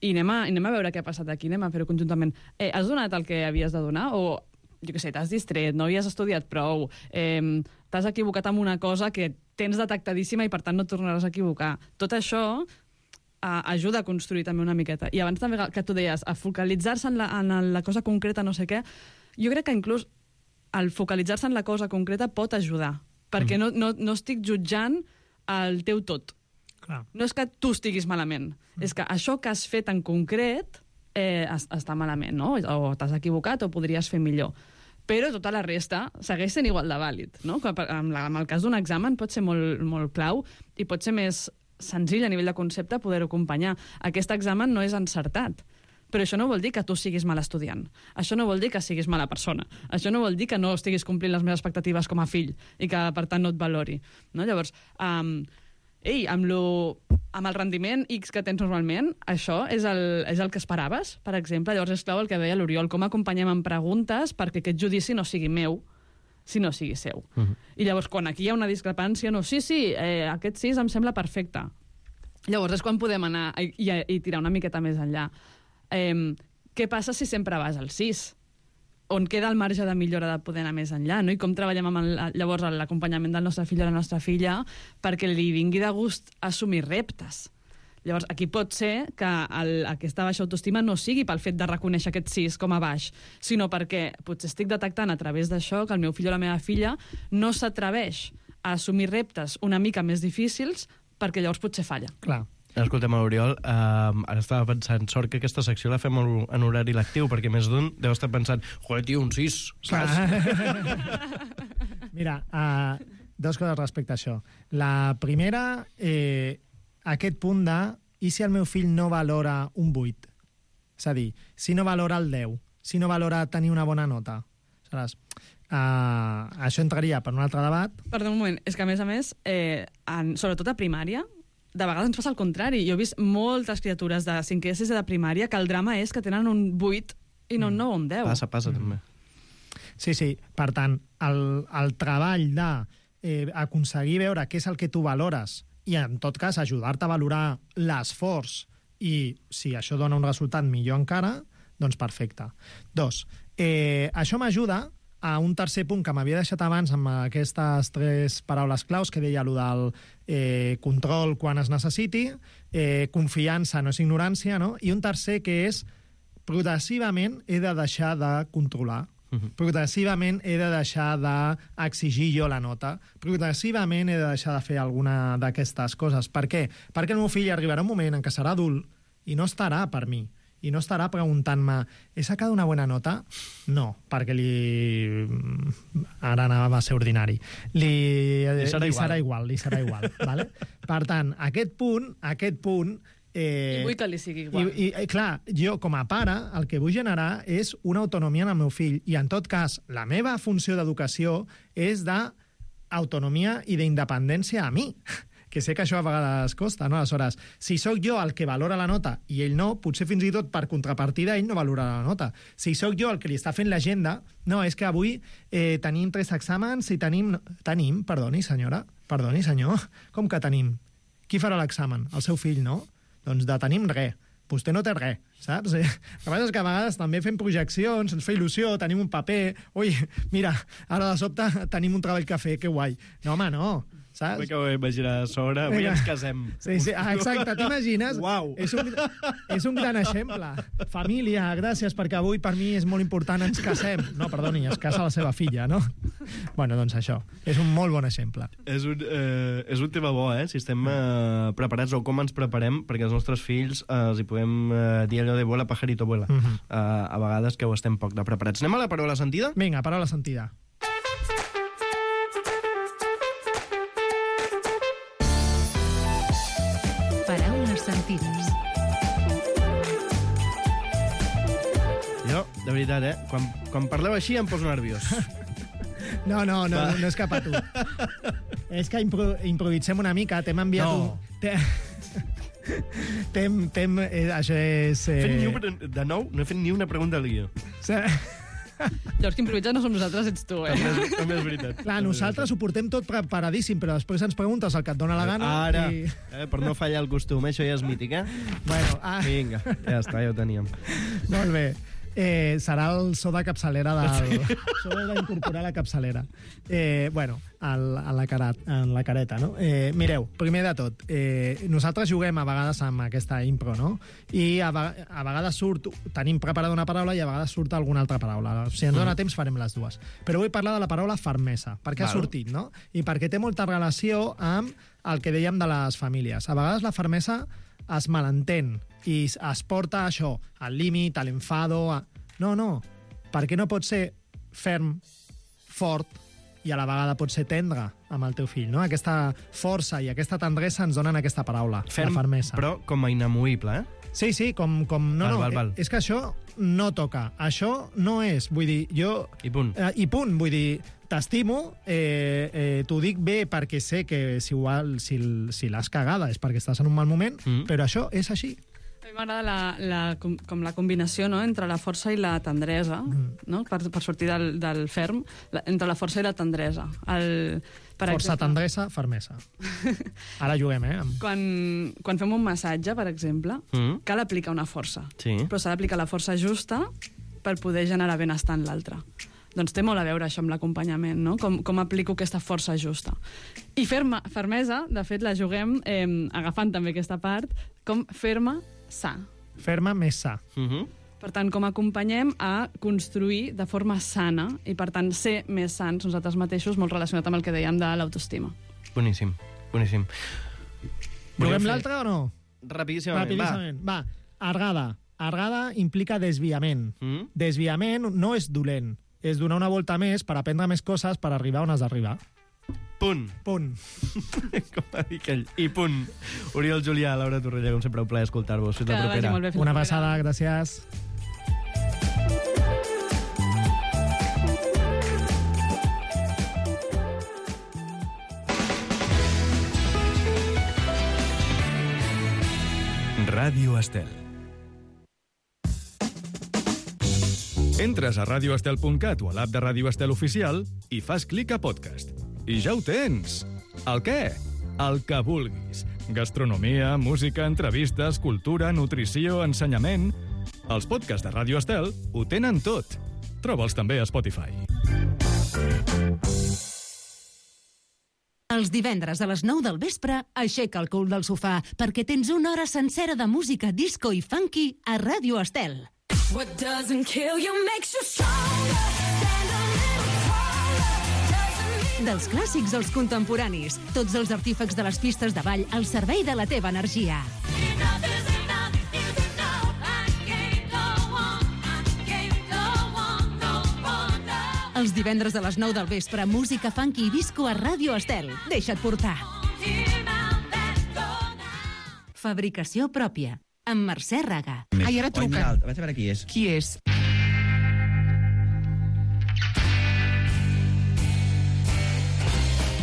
I anem a veure què ha passat aquí, anem a fer-ho conjuntament. Has donat el que havies de donar? O, jo què sé, t'has distret, no havies estudiat prou, t'has equivocat amb una cosa que tens detectadíssima i per tant no et tornaràs a equivocar. Tot això ajuda a construir també una miqueta. I abans també que tu deies, a focalitzar-se en la cosa concreta, no sé què, jo crec que inclús el focalitzar-se en la cosa concreta pot ajudar, perquè no estic jutjant el teu tot.
Clar.
No és que tu estiguis malament, és que això que has fet en concret està malament, no? O t'has equivocat o podries fer millor. Però tota la resta segueix sent igual de vàlid, no? En el cas d'un examen pot ser molt, molt clau i pot ser més senzill a nivell de concepte poder-ho acompanyar. Aquest examen no és encertat, però això no vol dir que tu siguis mal estudiant. Això no vol dir que siguis mala persona. Això no vol dir que no estiguis complint les meves expectatives com a fill i que, per tant, no et valori. No? Llavors, amb el rendiment X que tens normalment, això és el que esperaves, per exemple. Llavors és clau el que deia l'Oriol, com acompanyem amb preguntes perquè aquest judici no sigui meu, sinó sigui seu. I llavors, quan aquí hi ha una discrepància, no, sí, aquest 6 em sembla perfecte. Llavors és quan podem anar i tirar una miqueta més enllà. Què passa si sempre vas al 6? On queda el marge de millora de poder anar més enllà, no? I com treballem amb llavors l'acompanyament del nostre fill o la nostra filla perquè li vingui de gust assumir reptes. Llavors, aquí pot ser que aquesta baixa autoestima no sigui pel fet de reconèixer aquest 6 com a baix, sinó perquè potser estic detectant a través d'això que el meu fill o la meva filla no s'atreveix a assumir reptes una mica més difícils perquè llavors potser falla.
Clar. Escolta'm, l'Oriol, ara estava pensant, sort que aquesta secció la fem en horari lectiu, perquè més d'un deu estar pensant, joder, tio, un 6, saps?
Mira, dues coses respecte a això. La primera, aquest punt de i si el meu fill no valora un 8? És a dir, si no valora el 10, si no valora tenir una bona nota. Saps? Això entraria per un altre debat.
Perdó un moment, és que a més, sobretot a primària, de vegades ens passa el contrari. Jo he vist moltes criatures de 5è i 6è de primària que el drama és que tenen un 8 i no un 9 o un 10.
Passa també.
Sí. Per tant, el treball d'aconseguir veure què és el que tu valores i, en tot cas, ajudar-te a valorar l'esforç i, si això dona un resultat millor encara, doncs perfecte. 2. Això m'ajuda a un tercer punt que m'havia deixat abans amb aquestes 3 paraules claus que deia allò del control quan es necessiti, confiança no és ignorància, no? I un tercer que és progressivament he de deixar de controlar. Progressivament he de deixar d'exigir jo la nota. Progressivament he de deixar de fer alguna d'aquestes coses. Per què? Perquè el meu fill arribarà un moment en què serà adult i no estarà per mi. I no estarà preguntant-me he sacat una bona nota? No, perquè ara anava a ser ordinari. Li serà igual. Vale? Per tant, aquest punt
I vull que li sigui igual.
I clar, jo com a pare el que vull generar és una autonomia en el meu fill i en tot cas la meva funció d'educació és d'autonomia i d'independència a mi, que sé que això a vegades costa, no? Aleshores, si sóc jo el que valora la nota i ell no, potser fins i tot per contrapartida ell no valorarà la nota. Si sóc jo el que li està fent l'agenda, no, és que avui tenim 3 exàmens i tenim, perdoni senyora, perdoni senyor, com que tenim? Qui farà l'examen? El seu fill, no? Doncs de tenim res. Vostè no té res, saps? El que passa és que a vegades també fem projeccions, ens fa il·lusió, tenim un paper... Ui, mira, ara de sobte tenim un treball que fer, que guai. No, home, no, saps?
Vull que ho imaginar a sobre, avui ens casem.
Sí, exacte, t'imagines?
Uau!
És un gran exemple. Família, gràcies, perquè avui per mi és molt important, ens casem. No, perdoni, es casa la seva filla, no? Bueno, doncs això, és un molt bon exemple.
És un tema bo, si estem preparats o com ens preparem perquè els nostres fills els hi podem dir allò de vuela, pajarito, vuela. A vegades que ho estem poc de preparats. Anem a la paraula sentida?
Vinga, paraula sentida.
Paraules sentides.
Jo, de veritat, quan parleu així em poso nerviós.
No és cap a tu. És que improvisem una mica, t'hem enviat
No.
Això és...
De nou, no he fet ni una pregunta al guió.
Llavors, qui improvisa no som nosaltres, ets tu,
També és veritat.
Clar, nosaltres ho portem tot preparadíssim, però després ens preguntes el que et dona la gana.
Ara,
i...
per no fallar el costum, això ja és mític,
Bueno,
Vinga, ja està, ja ho teníem.
Molt bé. Serà el so de capçalera del... So d'incorporar la capçalera. Bueno, en la careta, no? Mireu, primer de tot, nosaltres juguem a vegades amb aquesta impro, no? I a vegades tenim preparada una paraula i a vegades surt alguna altra paraula. Si ens dona temps farem les dues. Però vull parlar de la paraula fermesa, perquè ha sortit, no? I perquè té molta relació amb el que dèiem de les famílies. A vegades la fermesa es malentén i es porta això, al límit, a l'enfado... No, perquè no pot ser ferm, fort, i a la vegada pot ser tendre amb el teu fill, no? Aquesta força i aquesta tendresa ens donen aquesta paraula, la fermesa.
Però com a inamovible,
Sí, com...
Val.
És que això no toca. Això no és, vull dir, jo...
I punt.
I punt, vull dir, t'estimo, t'ho dic bé perquè sé que si l'has cagada és perquè estàs en un mal moment, però això és així.
A mi m'agrada com la combinació, no?, entre la força i la tendresa, no?, per sortir del ferm, entre la força i la tendresa.
Força, tendresa, fermesa. Ara juguem,
Quan fem un massatge, per exemple, cal aplicar una força.
Sí.
Però s'ha d'aplicar la força justa per poder generar benestar en l'altre. Doncs té molt a veure això amb l'acompanyament, no? Com aplico aquesta força justa. I fermesa, de fet, la juguem agafant també aquesta part, com ferma, sa.
Ferma més sa.
Per tant, com acompanyem a construir de forma sana i, per tant, ser més sants nosaltres mateixos, molt relacionat amb el que dèiem de l'autoestima.
Boníssim.
Juguem l'altre o no?
Rapidíssimament.
Va, argada. Argada implica desviament. Desviament no és dolent. És donar una volta més per aprendre més coses per arribar on has d'arribar.
Punt.
Com
va dir aquell. I punt. Oriol Julià, Laura Torrella, com sempre, un plaer escoltar-vos. Fins la propera.
Una passada, gràcies.
Ràdio Estel. Entres a radioestel.cat o a l'app de Ràdio Estel Oficial i fas clic a podcast. I ja ho tens! El què? El que vulguis. Gastronomia, música, entrevistes, cultura, nutrició, ensenyament... Els podcasts de Ràdio Estel ho tenen tot. Troba'ls també a Spotify.
Els divendres a les 9 del vespre, aixeca el cul del sofà perquè tens una hora sencera de música disco i funky a Ràdio Estel.
What doesn't kill you makes you stronger. Stand a little taller.
Dels clàssics als contemporanis, tots els artífecs de les pistes de ball al servei de la teva energia.
Enough is enough is enough. I can't go on. I can't go on. No wonder.
Els divendres a les 9 del vespre, música funky i disco a Ràdio Estel. Deixa't portar. Fabricació pròpia. Amb Mercè Raga.
Ai, ara truca. Vaig a veure qui és.
Qui és?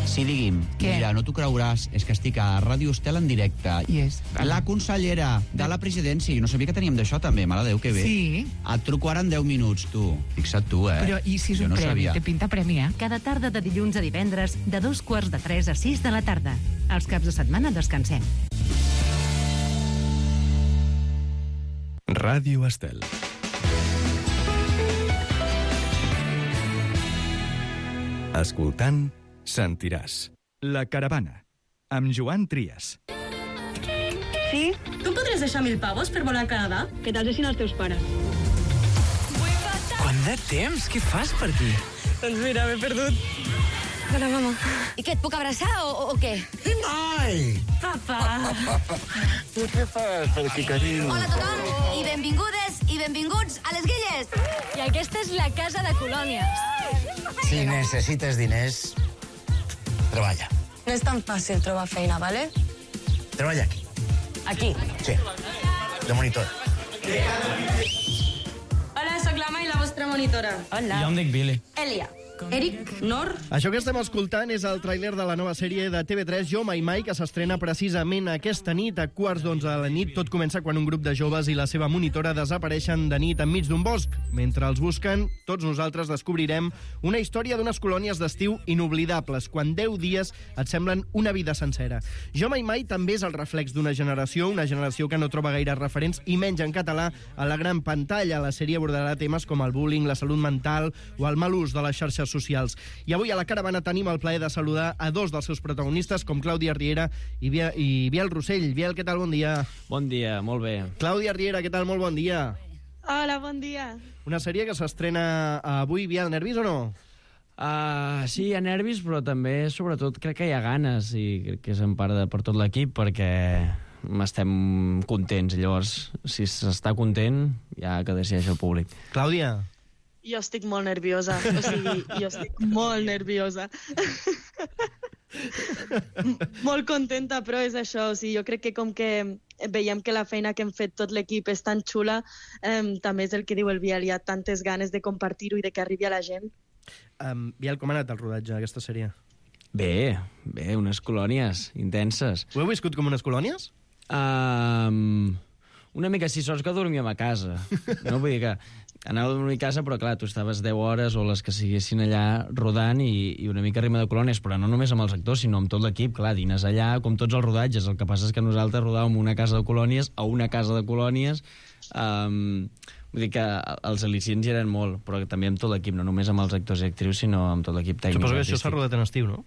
Sí, digui'm.
Què?
Mira, no t'ho creuràs, és que estic a Ràdio Estel en directe.
Qui és?
La consellera de la presidència. Jo no sabia que teníem d'això, també. Mare de Déu, que bé.
Sí.
Et truco ara en 10 minuts, tu. Fixa't tu,
Però i si és un premi? Té pinta premi, eh?
Cada tarda de dilluns a divendres, de 2:45 a 6 de la tarda. Els caps de setmana descansem.
Ràdio Estel. Escoltant, sentiràs. La caravana, amb Joan Trias.
Sí? Tu podries deixar 1.000 pavos per volar a Canadà? Que te'ls deixin els teus pares.
Quant de temps? Què fas per aquí?
Doncs mira, m'he perdut. Hola, mama.
I què, et puc abraçar o què?
Ai!
Papa.
Tu què fas per aquí, carinyo?
Hola a tothom i benvingudes i benvinguts a les Guilles. I aquesta és la casa de colònies.
Si necessites diners, treballa.
No és tan fàcil trobar feina, vale?
Treballa aquí.
Aquí.
Sí, de monitor.
Hola, sóc l'Ama i la vostra monitora.
Jo em dic Billy.
Elia. Eric, Nor...
Això que estem escoltant és el tràiler de la nova sèrie de TV3 Jo Mai Mai, que s'estrena precisament aquesta nit a 11:15 de la nit. Tot comença quan un grup de joves i la seva monitora desapareixen de nit enmig d'un bosc. Mentre els busquen, tots nosaltres descobrirem una història d'unes colònies d'estiu inoblidables, quan 10 dies et semblen una vida sencera. Jo Mai Mai també és el reflex d'una generació que no troba gaire referents, i menys en català, a la gran pantalla. La sèrie abordarà temes com el bullying, la salut mental o el mal ús de les xarxes socials. I avui a la caravana tenim el plaer de saludar a dos dels seus protagonistes, com Clàudia Riera i Biel Rossell. Biel, què tal? Bon dia.
Bon dia, molt bé.
Clàudia Riera, què tal? Molt bon dia.
Hola, bon dia.
Una sèrie que s'estrena avui. Biel, nervis o no?
Sí, hi ha nervis, però també, sobretot, crec que hi ha ganes, i crec que és en part per tot l'equip, perquè estem contents. Llavors, si s'està content, ja que decideix el públic.
Clàudia?
Jo estic molt nerviosa. O sigui, jo estic molt nerviosa. Molt contenta, però és això. O sigui, jo crec que com que veiem que la feina que hem fet tot l'equip és tan xula, també és el que diu el Biel. Hi ha tantes ganes de compartir-ho i de que arribi a la gent.
Biel, com ha anat el rodatge d'aquesta sèrie?
Bé, unes colònies intenses.
Ho heu viscut com unes colònies?
Una mica, sí, sols que dormíem a casa. No, vull dir que anava a dormir a casa, però clar, tu estaves 10 hores o les que siguessin allà rodant i una mica rima de colònies, però no només amb els actors, sinó amb tot l'equip. Clar, dines allà com tots els rodatges. El que passa és que nosaltres rodàvem una casa de colònies a una casa de colònies. Vull dir que els al·licients hi eren molt, però també amb tot l'equip, no només amb els actors i actrius, sinó amb tot l'equip tècnic.
Suposo que això s'ha rodat en estiu, no?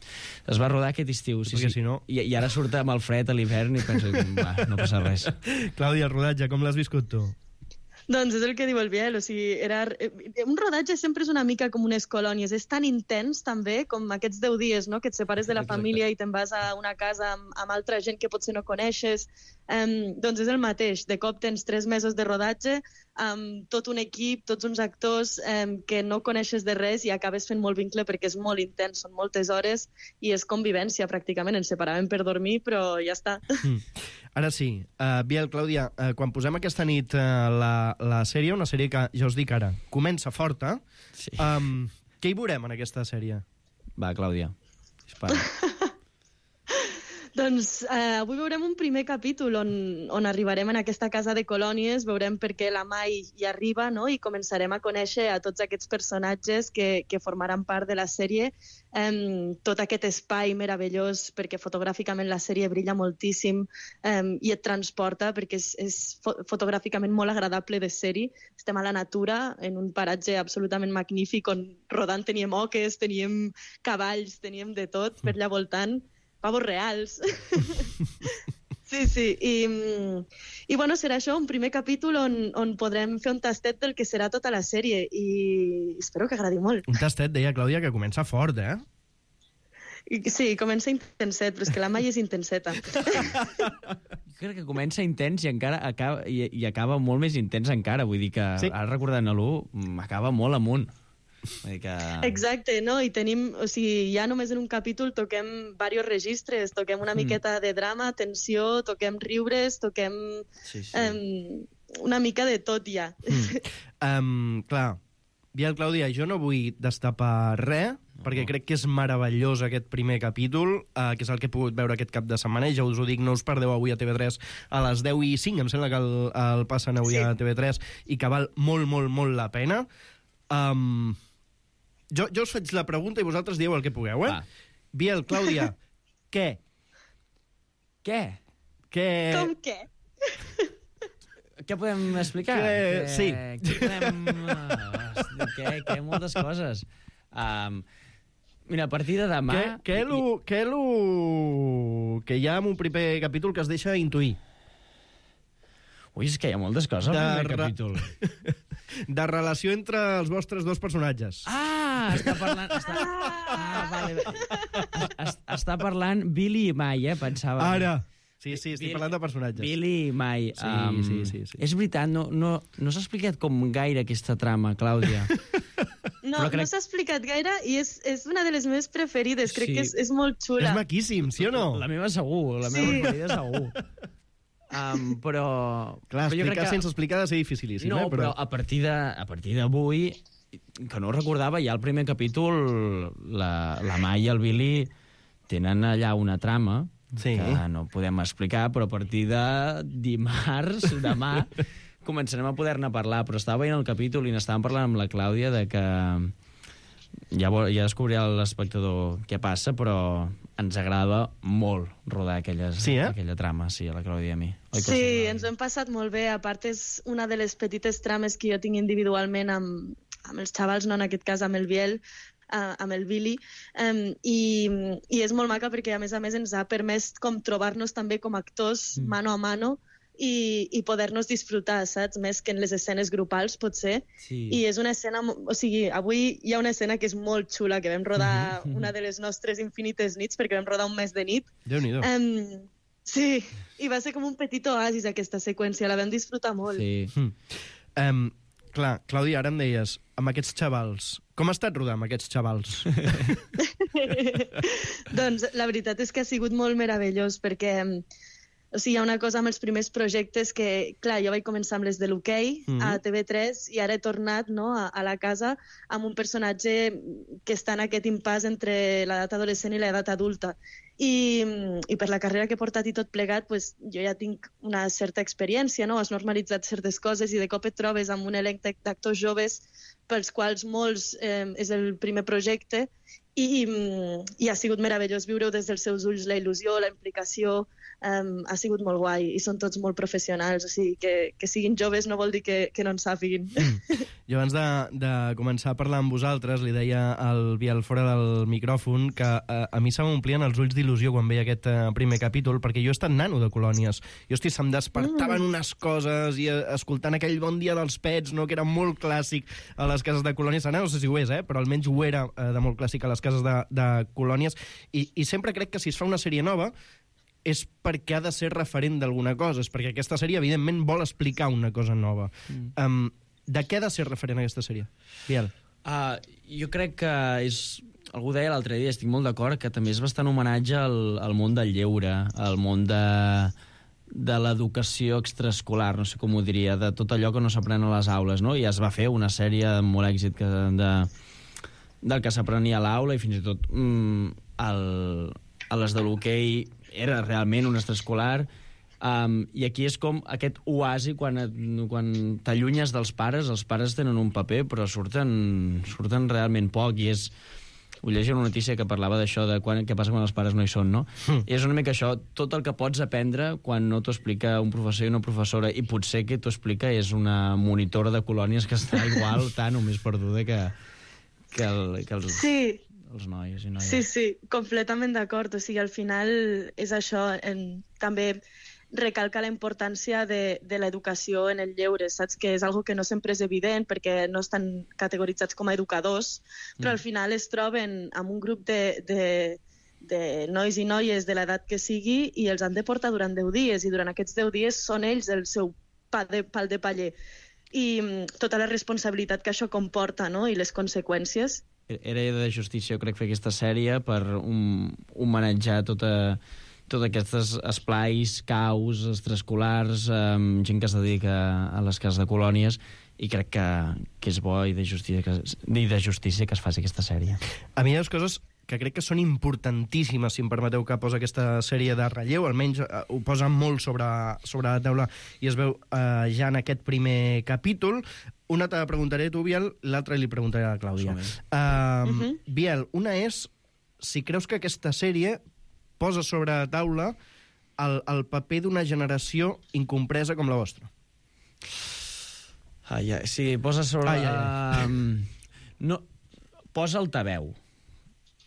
Es va rodar aquest estiu, sí.
Si no...
I ara surt amb el fred a l'hivern i penso que no passa res.
Clàudia, el rodatge, com l'has viscut tu?
Doncs és el que diu el Biel, o sigui, un rodatge sempre és una mica com unes colònies, és tan intens també com aquests 10 dies, no?, que et separes de la família i te'n vas a una casa amb altra gent que potser no coneixes, doncs és el mateix, de cop tens 3 mesos de rodatge amb tot un equip, tots uns actors que no coneixes de res i acabes fent molt vincle perquè és molt intens, són moltes hores i és convivència pràcticament, ens separàvem per dormir però ja està.
Ara sí, Biel, Clàudia, quan posem aquesta nit la sèrie, una sèrie que, ja us dic ara, comença forta, sí. Què hi veurem en aquesta sèrie?
Va, Clàudia, dispara.
Doncs avui veurem un primer capítol on arribarem en aquesta casa de colònies, veurem per què la Mai hi arriba, no?, i començarem a conèixer a tots aquests personatges que formaran part de la sèrie, tot aquest espai meravellós, perquè fotogràficament la sèrie brilla moltíssim i et transporta, perquè és fotogràficament molt agradable de ser-hi. Estem a la natura, en un paratge absolutament magnífic, on rodant teníem oques, teníem cavalls, teníem de tot per allà voltant, pavos reals. Sí. I bueno, serà això, un primer capítol on podrem fer un tastet del que serà tota la sèrie i espero que agradi molt.
Un tastet, deia Clàudia, que comença fort, eh?
Sí, comença intenset, però és que la Mai és intenseta.
Crec que comença intens i encara acaba molt més intens encara. Vull dir que, sí, ara recordant-lo, acaba molt amunt. Vull dir que...
Exacte, no? I tenim, o sigui, ja només en un capítol toquem diversos registres, toquem una miqueta de drama, tensió, toquem riures, toquem una mica de tot ja.
Clar, Biel, Clàudia, jo no vull destapar res, perquè crec que és meravellós aquest primer capítol, que és el que he pogut veure aquest cap de setmana, i ja us ho dic, no us perdeu avui a TV3 a les 10:05, em sembla que el passen avui a TV3, i que val molt, molt, molt la pena. Jo us faig la pregunta i vosaltres dieu el que pugueu, eh? Biel, Clàudia, què?
Com què?
Què podem explicar?
Sí.
Què podem... Què? Moltes coses. Mira, a partir de demà...
Què hi ha en un primer capítol que es deixa intuir?
Ui, és que hi ha moltes coses al primer capítol.
De relació entre els vostres dos personatges.
Està parlant... Està parlant Billy i Mai, pensava.
Ara. Sí, estic parlant de personatges.
Billy i Mai.
Sí.
És veritat, no s'ha explicat com gaire aquesta trama, Clàudia.
No s'ha explicat gaire i és una de les meves preferides. Crec que és molt xula.
És maquíssim, sí o no?
La meva segur, la meva preferida segur. Però...
Clar, explicar sense explicar ha de ser dificilíssim.
No, però a partir d'avui, que no ho recordava, ja al primer capítol la Mai i el Billy tenen allà una trama que no podem explicar, però a partir de dimarts, demà, començarem a poder-ne parlar. Però estava veient el capítol i n'estàvem parlant amb la Clàudia de que ja descobrirà l'espectador què passa, però ens agrada molt rodar aquella trama, a la Clàudia i a mi.
Sí, ens ho hem passat molt bé. A part, és una de les petites trames que jo tinc individualment amb els xavals, no en aquest cas amb el Biel, amb el Billy, i és molt maca perquè, a més, ens ha permès com trobar-nos també com actors mano a mano i poder-nos disfrutar, saps? Més que en les escenes grupals, potser. Sí. I és una escena... O sigui, avui hi ha una escena que és molt xula, que vam rodar una de les nostres infinites nits, perquè vam rodar un mes de nit.
Déu-n'hi-do.
Sí, i va ser com un petit oasis, aquesta seqüència. La vam disfrutar molt.
Sí.
Clar, Clàudia, ara em deies, amb aquests xavals, com ha estat rodar amb aquests xavals?
Doncs la veritat és que ha sigut molt meravellós, perquè... O sigui, hi ha una cosa amb els primers projectes que, clar, jo vaig començar amb les de l'hoquei a TV3 i ara he tornat a la casa amb un personatge que està en aquest impàs entre l'edat adolescent i l'edat adulta. I per la carrera que he portat i tot plegat, pues, jo ja tinc una certa experiència, no? Has normalitzat certes coses i de cop et trobes amb un elenc d'actors joves pels quals molts és el primer projecte i ha sigut meravellós viure-ho des dels seus ulls, la il·lusió, la implicació. Ha sigut molt guai i són tots molt professionals, o sigui, que siguin joves no vol dir que no en sàpiguin.
Jo abans de començar a parlar amb vosaltres li deia al Biel fora del micròfon que a mi se m'omplien els ulls d'il·lusió quan veia aquest primer capítol, perquè jo he estat nano de colònies. Jo, se'm despertaven unes coses i escoltant aquell Bon dia dels pets, no, que era molt clàssic a les cases de colònies. Ara no sé si ho és, però almenys ho era de molt clàssic a les cases de colònies. I sempre crec que si es fa una sèrie nova és perquè ha de ser referent d'alguna cosa, és perquè aquesta sèrie, evidentment, vol explicar una cosa nova. De què ha de ser referent aquesta sèrie? Biel.
Jo crec que és... Algú deia l'altre dia, estic molt d'acord, que també és bastant homenatge al món del lleure, al món de l'educació extraescolar, no sé com ho diria, de tot allò que no s'aprèn a les aules, no? I es va fer una sèrie amb molt èxit del que s'aprenia a l'aula, i fins i tot a les de l'hoquei era realment un extraescolar, i aquí és com aquest oasi quan t'allunyes dels pares, els pares tenen un paper però surten realment poc, i és... Ho llegia una notícia que parlava d'això, de què passa quan els pares no hi són, no? I és una mica això, tot el que pots aprendre quan no t'ho explica un professor i una professora, i potser que t'ho explica és una monitora de colònies que està igual tant o més perduda que els...
Sí.
Els nois i noies.
Sí, completament d'acord. O sigui, al final és això. També recalca la importància de l'educació en el lleure, saps? Que és algo que no sempre és evident perquè no estan categoritzats com a educadors, però al final es troben amb un grup de nois i noies de l'edat que sigui i els han de portar durant 10 dies, i durant aquests 10 dies són ells el seu pal de paller. i tota la responsabilitat que això comporta, no? I les conseqüències.
Era de justícia, jo crec, fer aquesta sèrie per homenatjar tots aquests esplais, caus, extraescolars, gent que es dedica a les cases de colònies, i crec que és bo i de justícia que es faci aquesta sèrie.
A mi hi ha coses que crec que són importantíssimes, si em permeteu, que posa aquesta sèrie de relleu, almenys ho posa molt sobre la taula i es veu ja en aquest primer capítol. Una te la preguntaré a tu, Biel, l'altra li preguntaré a la Clàudia. Biel, una és si creus que aquesta sèrie posa sobre la taula el paper d'una generació incompresa com la vostra.
Sí, posa sobre... No, posa altaveu,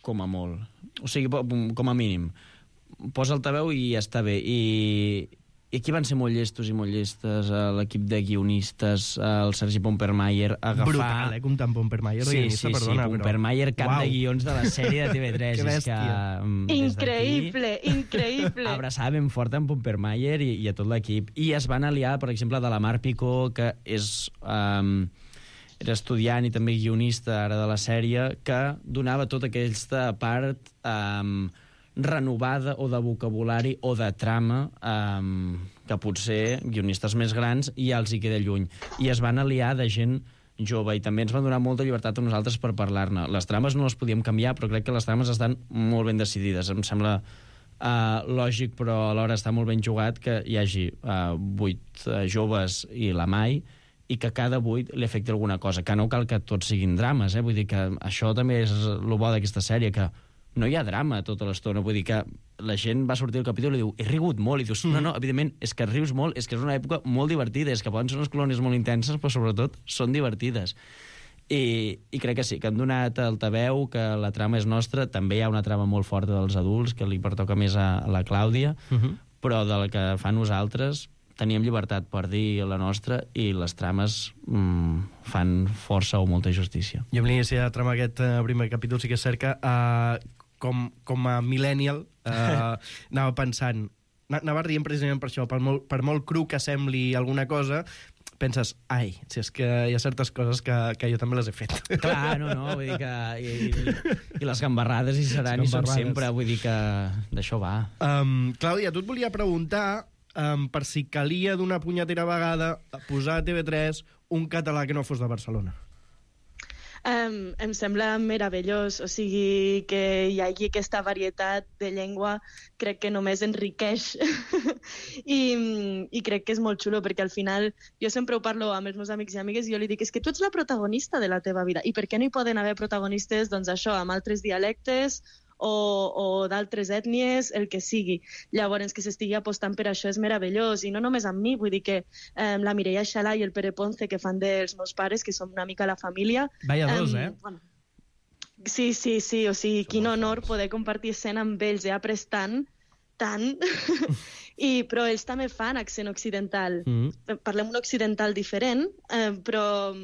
com a molt. O sigui, com a mínim. Posa altaveu i ja està bé. I aquí van ser molt llestos i molt llestes, l'equip de guionistes, el Sergi Pompermayer, agafar...
Brutal, comptant Pompermayer.
Sí, Pompermayer, cap de guions de la sèrie de TV3.
Que bèstia.
Increïble.
Abraçava ben fort en Pompermayer i a tot l'equip. I es van aliar, per exemple, de la Mar Picó, que era estudiant i també guionista ara de la sèrie, que donava tota aquesta part renovada o de vocabulari o de trama que potser guionistes més grans ja els hi queda lluny. I es van aliar de gent jove i també ens van donar molta llibertat a nosaltres per parlar-ne. Les trames no les podíem canviar, però crec que les trames estan molt ben decidides. Em sembla lògic, però alhora està molt ben jugat que hi hagi 8 joves i la Mai, i que cada 8 li afecti alguna cosa, que no cal que tots siguin drames, vull dir que això també és el bo d'aquesta sèrie, que no hi ha drama tota l'estona, vull dir que la gent va sortir del capítol i diu, he rigut molt, i dius, no, evidentment, és que rius molt, és que és una època molt divertida, és que poden ser unes colònies molt intenses, però sobretot són divertides. I crec que sí, que han donat altaveu, que la trama és nostra, també hi ha una trama molt forta dels adults, que li pertoca més a la Clàudia, però del que fa nosaltres teníem llibertat per dir la nostra i les trames fan força o molta justícia.
Jo amb l'inici de trama aquest primer capítol sí que és cert que com a millennial anava pensant, anava rient precisament per això, per molt cru que sembli alguna cosa, penses, si és que hi ha certes coses que jo també les he fet.
Clar, no, vull dir que... I les gambarrades hi seran i són sempre, vull dir que d'això va.
Clàudia, tu et volia preguntar per si calia d'una punyetera vegada posar a TV3 un català que no fos de Barcelona.
Em sembla meravellós, o sigui, que hi hagi aquesta varietat de llengua, crec que només enriqueix i crec que és molt xulo, perquè al final jo sempre ho parlo amb els meus amics i amigues i jo li dic, és que tu ets la protagonista de la teva vida, i per què no hi poden haver protagonistes, doncs això, amb altres dialectes o d'altres ètnies, el que sigui. Llavors, que s'estigui apostant per això és meravellós, i no només amb mi, vull dir que la Mireia Xalà i el Pere Ponce, que fan dels meus pares, que som una mica la família...
Vaya dos,
Bueno, sí, o sigui, quin honor poder compartir escena amb ells, he après tant, però ells també fan accent occidental. Parlem un occidental diferent, però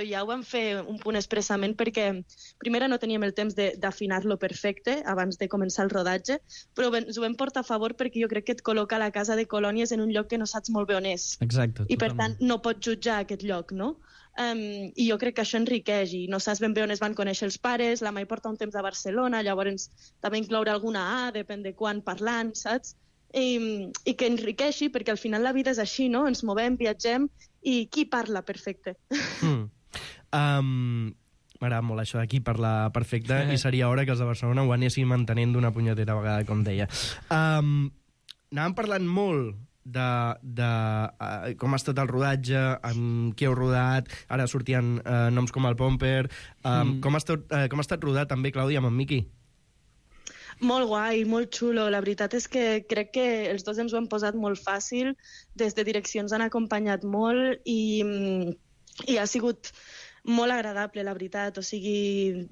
ja ho vam fer un punt expressament perquè primera no teníem el temps d'afinar-lo perfecte abans de començar el rodatge, però ens ho vam portar a favor perquè jo crec que et col·loca la casa de colònies en un lloc que no saps molt bé on és.
Exacte.
I per tant no pots jutjar aquest lloc, no? I jo crec que això enriqueix, i no saps ben bé on es van conèixer els pares, la Mai porta un temps a Barcelona, llavors també incloure alguna A, depèn de quan parlant, saps? I que enriqueixi, perquè al final la vida és així, no? Ens movem, viatgem, i qui parla perfecte?
M'agrada molt això de qui parla perfecte, i seria hora que els de Barcelona ho anessin mantenint d'una punyetera vegada, com deia. Anàvem parlant molt de com ha estat el rodatge, amb qui heu rodat, ara sortien noms com el Pomper, com ha estat rodat també, Clàudia, amb en Miqui?
Molt guai, molt xulo. La veritat és que crec que els dos ens ho hem posat molt fàcil, des de direccions han acompanyat molt i ha sigut molt agradable, la veritat. O sigui,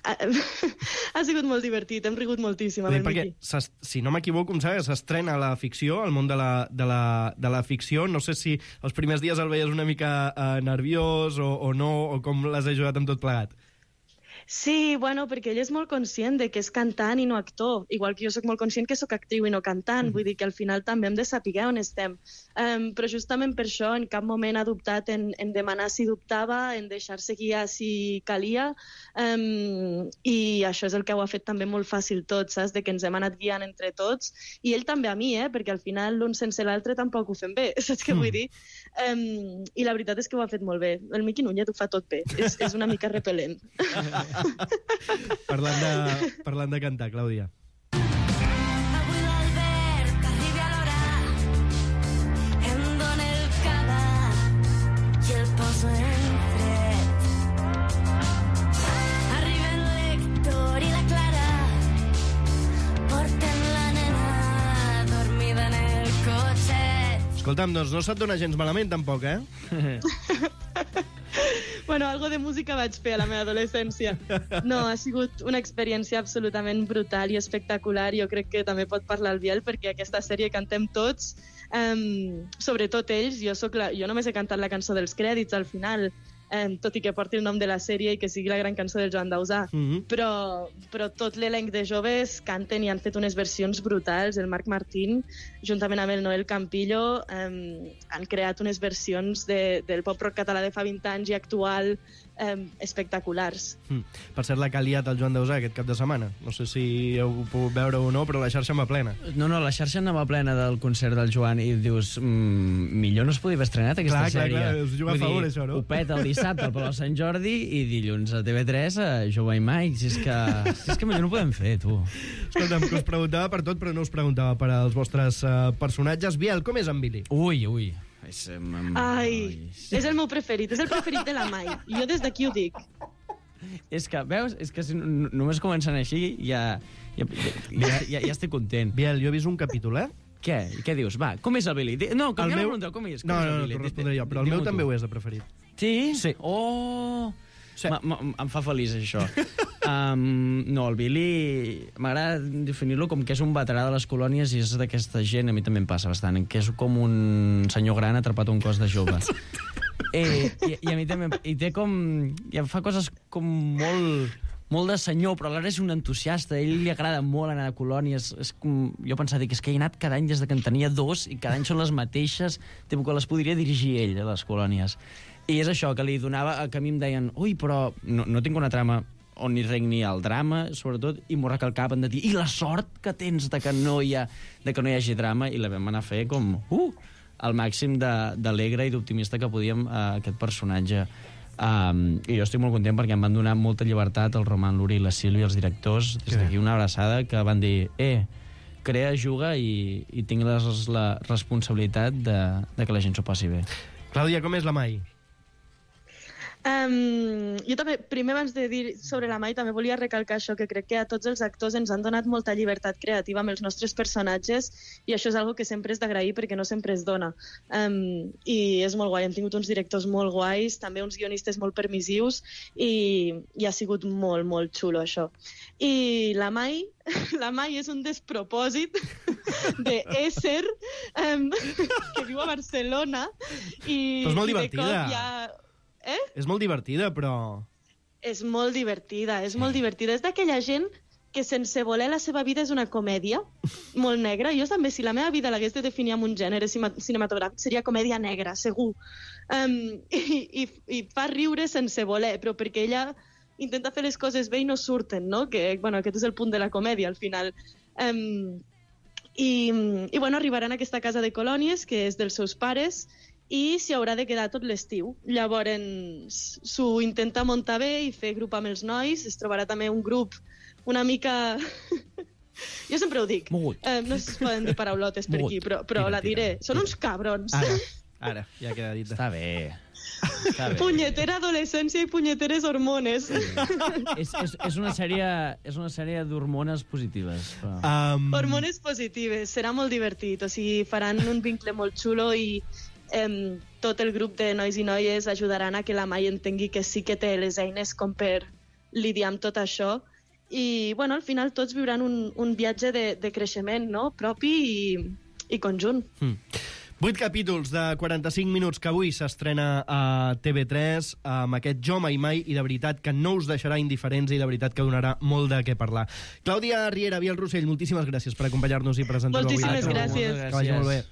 ha sigut molt divertit, hem rigut moltíssim amb el Miqui.
Si no m'equivoco, em sembla que s'estrena la ficció, el món de la ficció. No sé si els primers dies el veies una mica nerviós o no, o com l'has ajudat amb tot plegat.
Sí, bueno, perquè ell és molt conscient de que és cantant i no actor, igual que jo sóc molt conscient que sóc actriu i no cantant, vull dir que al final també hem de saber on estem. Però justament per això en cap moment ha dubtat en demanar si dubtava, en deixar-se guiar si calia, i això és el que ho ha fet també molt fàcil tot, saps? De que ens hem anat guiant entre tots, i ell també a mi, perquè al final l'un sense l'altre tampoc ho fem bé, saps què vull dir? I la veritat és que ho ha fet molt bé. El Miqui Núñez ho fa tot bé, és una mica repel·lent.
Parlant de cantar, Clàudia.
Avui l'Albert arriba a l'hora, em dóna el cava i el poso en fred. Arriben l'Héctor i la Clara, porten la nena dormida en el cotxet.
Escolta'm, doncs no se't dona gens malament, tampoc, eh?
Bueno, algo de música vaig fer a la meva adolescència. No, ha sigut una experiència absolutament brutal i espectacular. Jo crec que també pot parlar el Biel, perquè aquesta sèrie cantem tots, sobretot ells. Jo només he cantat la cançó dels crèdits al final, tot i que porti el nom de la sèrie i que sigui la gran cançó del Joan Dausà. Però tot l'elenc de joves canten i han fet unes versions brutals. El Marc Martín, juntament amb el Noel Campillo, han creat unes versions del pop-rock català de fa 20 anys i actual espectaculars.
Per cert, la que ha liat el Joan Dausà aquest cap de setmana. No sé si heu pogut veure o no, però la xarxa anava plena.
No, la xarxa anava plena del concert del Joan i dius, millor no es podia haver estrenat aquesta sèrie.
Clar, us juga a favor, això, no?
Ho peta el dissabte al Palau Sant Jordi i dilluns a TV3 a Jove i Mike. Si és que millor no ho podem fer, tu.
Escolta'm, que us preguntava per tot, però no us preguntava per als vostres personatges. Biel, com és en Billy?
Ui.
Ai, és el meu preferit, és el preferit de la Mai. Jo des d'aquí ho dic.
És que, veus, és que si només comencen així ja estic content.
Biel, jo he vist un capítol, eh?
Què? Què dius? Va, com és el Billy? No, canviem la pregunta, com és?
No, t'ho respondré jo, però el meu també ho és de preferit.
Sí? Sí. Oh! Sí. Em fa feliç, això. No, el Billy m'agrada definir-lo com que és un veterà de les colònies i és d'aquesta gent, a mi també em passa bastant, que és com un senyor gran atrapat a un cos de jove. I a mi també... I té com... I em fa coses com molt de senyor, però alhora és un entusiasta. A ell li agrada molt anar a colònies. És com... Jo pensava, dic, és que he anat cada any des de que en tenia 2 i cada any són les mateixes, que les podria dirigir ell, a les colònies. I és això, que li donava... Que a mi em deien, ui, però no tinc una trama on hi regni el drama, sobretot, i m'ho recalcaven de dir, i la sort que tens de que no hi hagi drama, i la vam anar a fer com, al màxim d'alegre i d'optimista que podíem aquest personatge. I jo estic molt content perquè em van donar molta llibertat el Roman, l'Uri i la Sílvia, els directors, des d'aquí una abraçada, que van dir, crea, juga i tinc la responsabilitat de que la gent s'ho passi bé.
Clàudia, com és la Mai?
Jo també, primer abans de dir sobre la Mai, també volia recalcar això, que crec que a tots els actors ens han donat molta llibertat creativa amb els nostres personatges i això és algo que sempre és d'agrair perquè no sempre es dona. I és molt guai, hem tingut uns directors molt guais, també uns guionistes molt permissius i ha sigut molt, molt xulo això. I la Mai és un despropòsit d'ésser que viu a Barcelona i...
Però és molt divertida. És molt divertida, però...
És molt divertida. És d'aquella gent que sense voler la seva vida és una comèdia molt negra. Jo també, si la meva vida l'hagués de definir amb un gènere cinematogràfic, seria comèdia negra, segur. I fa riure sense voler, però perquè ella intenta fer les coses bé i no surten, no? Que, bueno, aquest és el punt de la comèdia, al final. I bueno, arribaran a aquesta casa de colònies, que és dels seus pares, i s'hi haurà de quedar tot l'estiu. Llavors s'ho intenta muntar bé i fer grup amb els nois. Es trobarà també un grup una mica... Jo sempre ho dic. No es poden dir paraulotes per aquí, però la diré. Són uns cabrons.
Ara, ja queda dit.
Està bé.
Punyetera adolescència i punyeteres hormones.
És una sèrie d'hormones positives.
Hormones positives. Serà molt divertit. O sigui, faran un vincle molt xulo i tot el grup de nois i noies ajudaran a que la Mai entengui que sí que té les eines com per lidiar amb tot això i bueno, al final tots viuran un viatge de creixement, no? Propi i conjunt.
8 capítols de 45 minuts que avui s'estrena a TV3 amb aquest Jo Mai Mai, i de veritat que no us deixarà indiferents i de veritat que donarà molt de què parlar. Clàudia Riera, Biel Rossell, moltíssimes gràcies per acompanyar-nos i presentar-ho avui.
Moltíssimes gràcies.
Que vagi molt bé.